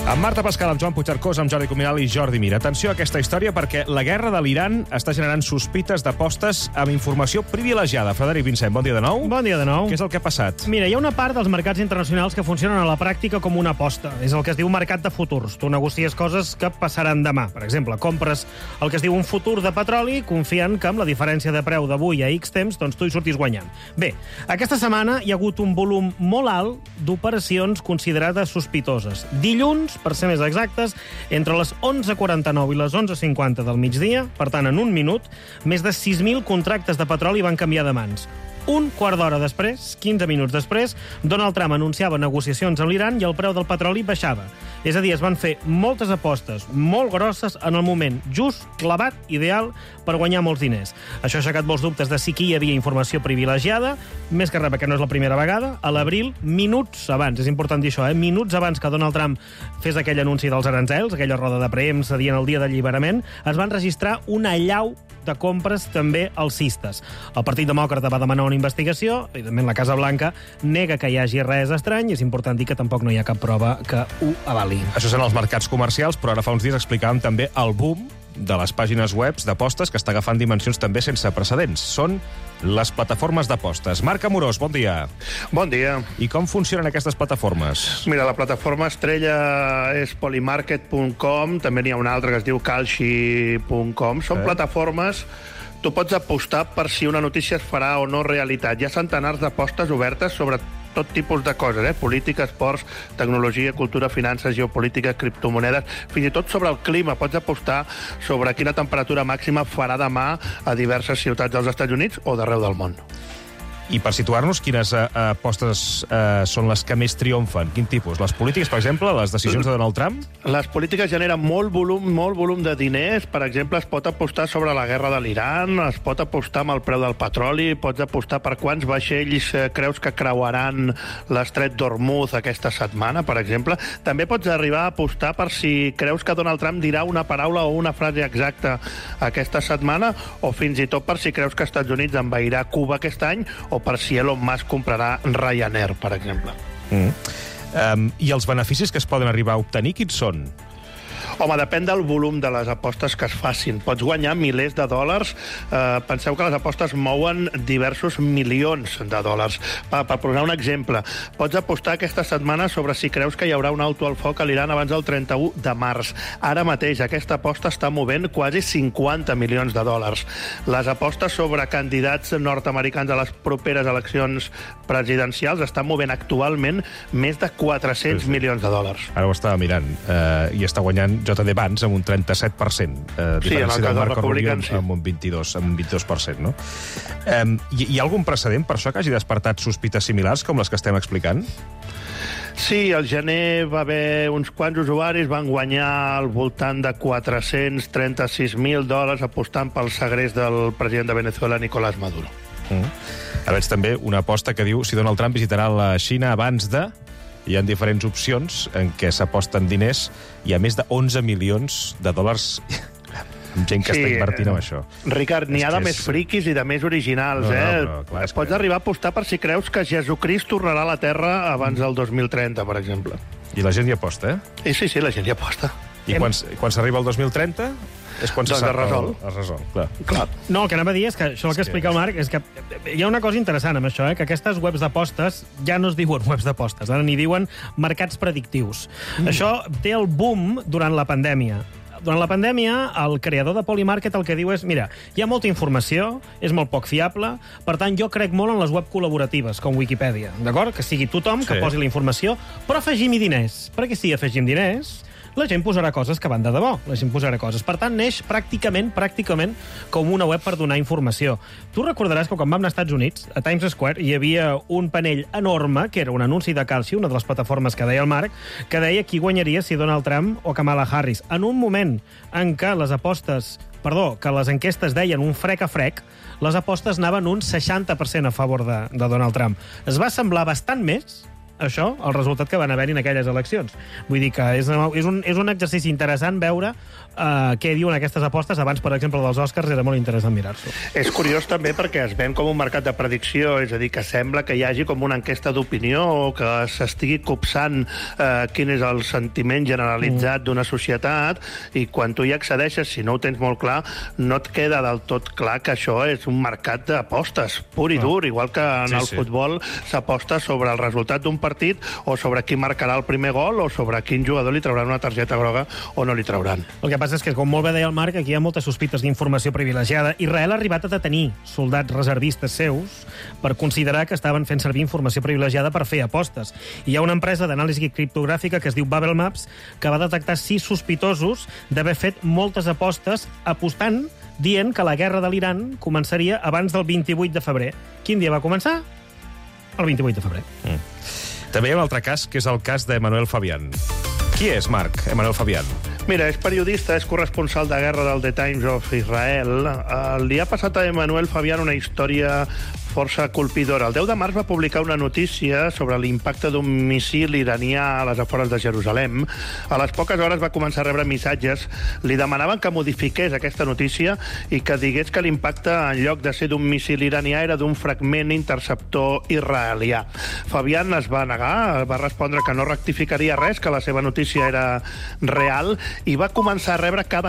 Amb Marta Pascal, amb Joan Puigcercós, amb Jordi Cuminal i Jordi Mir. Atenció a aquesta història perquè la guerra de l'Iran està generant sospites d'apostes amb informació privilegiada. Frederic Vincent, bon dia de nou. Bon dia de nou. Què és el que ha passat? Mira, hi ha una part dels mercats internacionals que funcionen a la pràctica com una aposta. És el que es diu mercat de futurs. Tu negocies coses que passaran demà. Per exemple, compres el que es diu un futur de petroli confiant que amb la diferència de preu d'avui a X temps, doncs tu hi sortis guanyant. Bé, aquesta setmana hi ha hagut un volum molt alt d'operacions considerades sospitoses. Dilluns per ser més exactes, entre les onze quaranta-nou i les onze cinquanta del migdia, per tant, en un minut, més de sis mil contractes de petroli van canviar de mans. Un quart d'hora després, quinze minuts després, Donald Trump anunciava negociacions amb l'Iran i el preu del petroli baixava. És a dir, es van fer moltes apostes molt grosses en el moment just, clavat, ideal, per guanyar molts diners. Això ha aixecat molts dubtes de si aquí hi havia informació privilegiada, més que res perquè no és la primera vegada. A l'abril, minuts abans, és important dir això, eh? minuts abans que Donald Trump fes aquell anunci dels aranzels, aquella roda de premsa dient el dia d'alliberament, es van registrar una allau de compres també alcistes. El Partit Demòcrata va demanar una investigació, evidentment la Casa Blanca nega que hi hagi res estrany, és important dir que tampoc no hi ha cap prova que ho avali. Això són els mercats comercials, però ara fa uns dies explicàvem també el boom de les pàgines web d'apostes que està agafant dimensions també sense precedents. Són les plataformes d'apostes. Marc Amorós, bon dia. Bon dia. I com funcionen aquestes plataformes? Mira, la plataforma estrella és polymarket punt com, també n'hi ha una altra que es diu calci punt com. Són eh? plataformes... Tu pots apostar per si una notícia es farà o no realitat. Hi ha centenars d'apostes obertes sobre tot tipus de coses, eh? política, esports, tecnologia, cultura, finances, geopolítica, criptomonedes, fins i tot sobre el clima. Pots apostar sobre quina temperatura màxima farà demà a diverses ciutats dels Estats Units o d'arreu del món. I per situar-nos, quines eh, apostes eh, són les que més triomfen? Quin tipus? Les polítiques, per exemple, les decisions de Donald Trump? Les polítiques generen molt volum, molt volum de diners. Per exemple, es pot apostar sobre la guerra de l'Iran, es pot apostar amb el preu del petroli, pots apostar per quants vaixells eh, creus que creuaran l'estret d'Hormuz aquesta setmana, per exemple. També pots arribar a apostar per si creus que Donald Trump dirà una paraula o una frase exacta aquesta setmana, o fins i tot per si creus que Estats Units envairà Cuba aquest any, o per si Elon Musk comprarà Ryanair, per exemple. Mm. Um, I els beneficis que es poden arribar a obtenir, quins són? Home, depèn del volum de les apostes que es facin. Pots guanyar milers de dòlars. Eh, penseu que les apostes mouen diversos milions de dòlars. Per, per posar un exemple, pots apostar aquesta setmana sobre si creus que hi haurà un alto al foc a l'Iran abans del trenta-u de març. Ara mateix aquesta aposta està movent quasi cinquanta milions de dòlars. Les apostes sobre candidats nord-americans a les properes eleccions presidencials estan movent actualment més de quatre-cents sí, sí. milions de dòlars. Ara ho estava mirant eh, i està guanyant J D Vance amb un trenta-set per cent. Eh, sí, en el cas del Republicà, sí. Amb un vint-i-dos, amb un vint-i-dos per cent, no? Eh, hi, hi ha algun precedent per això que hagi despertat sospites similars com les que estem explicant? Sí, al gener va haver uns quants usuaris, van guanyar al voltant de quatre-cents trenta-sis mil dòlars apostant pel segrest del president de Venezuela, Nicolás Maduro. Mm. Ara veig també una aposta que diu si Donald Trump visitarà la Xina abans de... Hi ha diferents opcions en què s'aposten diners. Hi ha més de onze milions de dòlars amb gent que sí, està invertint en això. Ricard, n'hi ha de és... més friquis i de més originals. No, eh? no, però, clar, Pots que... arribar a apostar per si creus que Jesucrist tornarà a la Terra abans del dos mil trenta, per exemple. I la gent hi aposta, eh? Sí, sí, sí, la gent hi aposta. I quan, quan s'arriba al dos mil trenta... És quan doncs se es resol. Es resol, clar. clar. No, el que anava a dir és que això el que explica el Marc és que hi ha una cosa interessant amb això, eh? que aquestes webs d'apostes ja no es diuen webs d'apostes, ara n'hi diuen mercats predictius. Mm. Això té el boom durant la pandèmia. Durant la pandèmia, el creador de Polymarket el que diu és, mira, hi ha molta informació, és molt poc fiable, per tant, jo crec molt en les web col·laboratives, com Wikipedia, d'acord? Que sigui tothom que sí. posi la informació, però afegim-hi diners, perquè si afegim diners... la gent posarà coses que van de debò, la gent posarà coses. Per tant, neix pràcticament, pràcticament com una web per donar informació. Tu recordaràs que quan vam anar als Estats Units, a Times Square, hi havia un panell enorme, que era un anunci de Calci, una de les plataformes que deia el Marc, que deia qui guanyaria si Donald Trump o Kamala Harris. En un moment en què les apostes, perdó, que les enquestes deien un frec a frec, les apostes anaven un seixanta per cent a favor de, de Donald Trump. Es va semblar bastant més això, el resultat que van haver-hi en aquelles eleccions. Vull dir que és, és, un, és un exercici interessant veure uh, què diuen aquestes apostes. Abans, per exemple, dels Oscars, era molt interessant mirar-s'ho. És curiós també perquè es ven com un mercat de predicció, és a dir, que sembla que hi hagi com una enquesta d'opinió o que s'estigui copsant uh, quin és el sentiment generalitzat mm. d'una societat, i quan tu hi accedeixes, si no ho tens molt clar, no et queda del tot clar que això és un mercat d'apostes, pur i dur, igual que en sí, el sí. futbol s'aposta sobre el resultat d'un partit, o sobre qui marcarà el primer gol, o sobre quin jugador li trauran una targeta groga o no li trauran. El que passa és que, com molt bé deia el Marc, aquí hi ha moltes sospites d'informació privilegiada. Israel ha arribat a detenir soldats reservistes seus per considerar que estaven fent servir informació privilegiada per fer apostes. I hi ha una empresa d'anàlisi criptogràfica que es diu Babel Maps que va detectar sis sospitosos d'haver fet moltes apostes apostant, dient que la guerra de l'Iran començaria abans del vint-i-vuit de febrer. Quin dia va començar? El vint-i-vuit de febrer. Mm. També hi ha un altre cas, que és el cas d'Emmanuel Fabián. Qui és, Marc, Emmanuel Fabián? Mira, és periodista, és corresponsal de guerra del The Times of Israel. Li ha passat a Emmanuel Fabián una història força colpidora. El deu de març va publicar una notícia sobre l'impacte d'un míssil iranià a les afores de Jerusalem. A les poques hores va començar a rebre missatges. Li demanaven que modifiqués aquesta notícia i que digués que l'impacte, en lloc de ser d'un míssil iranià, era d'un fragment interceptor israelià. Fabián es va negar, va respondre que no rectificaria res, que la seva notícia era real, i va començar a rebre cada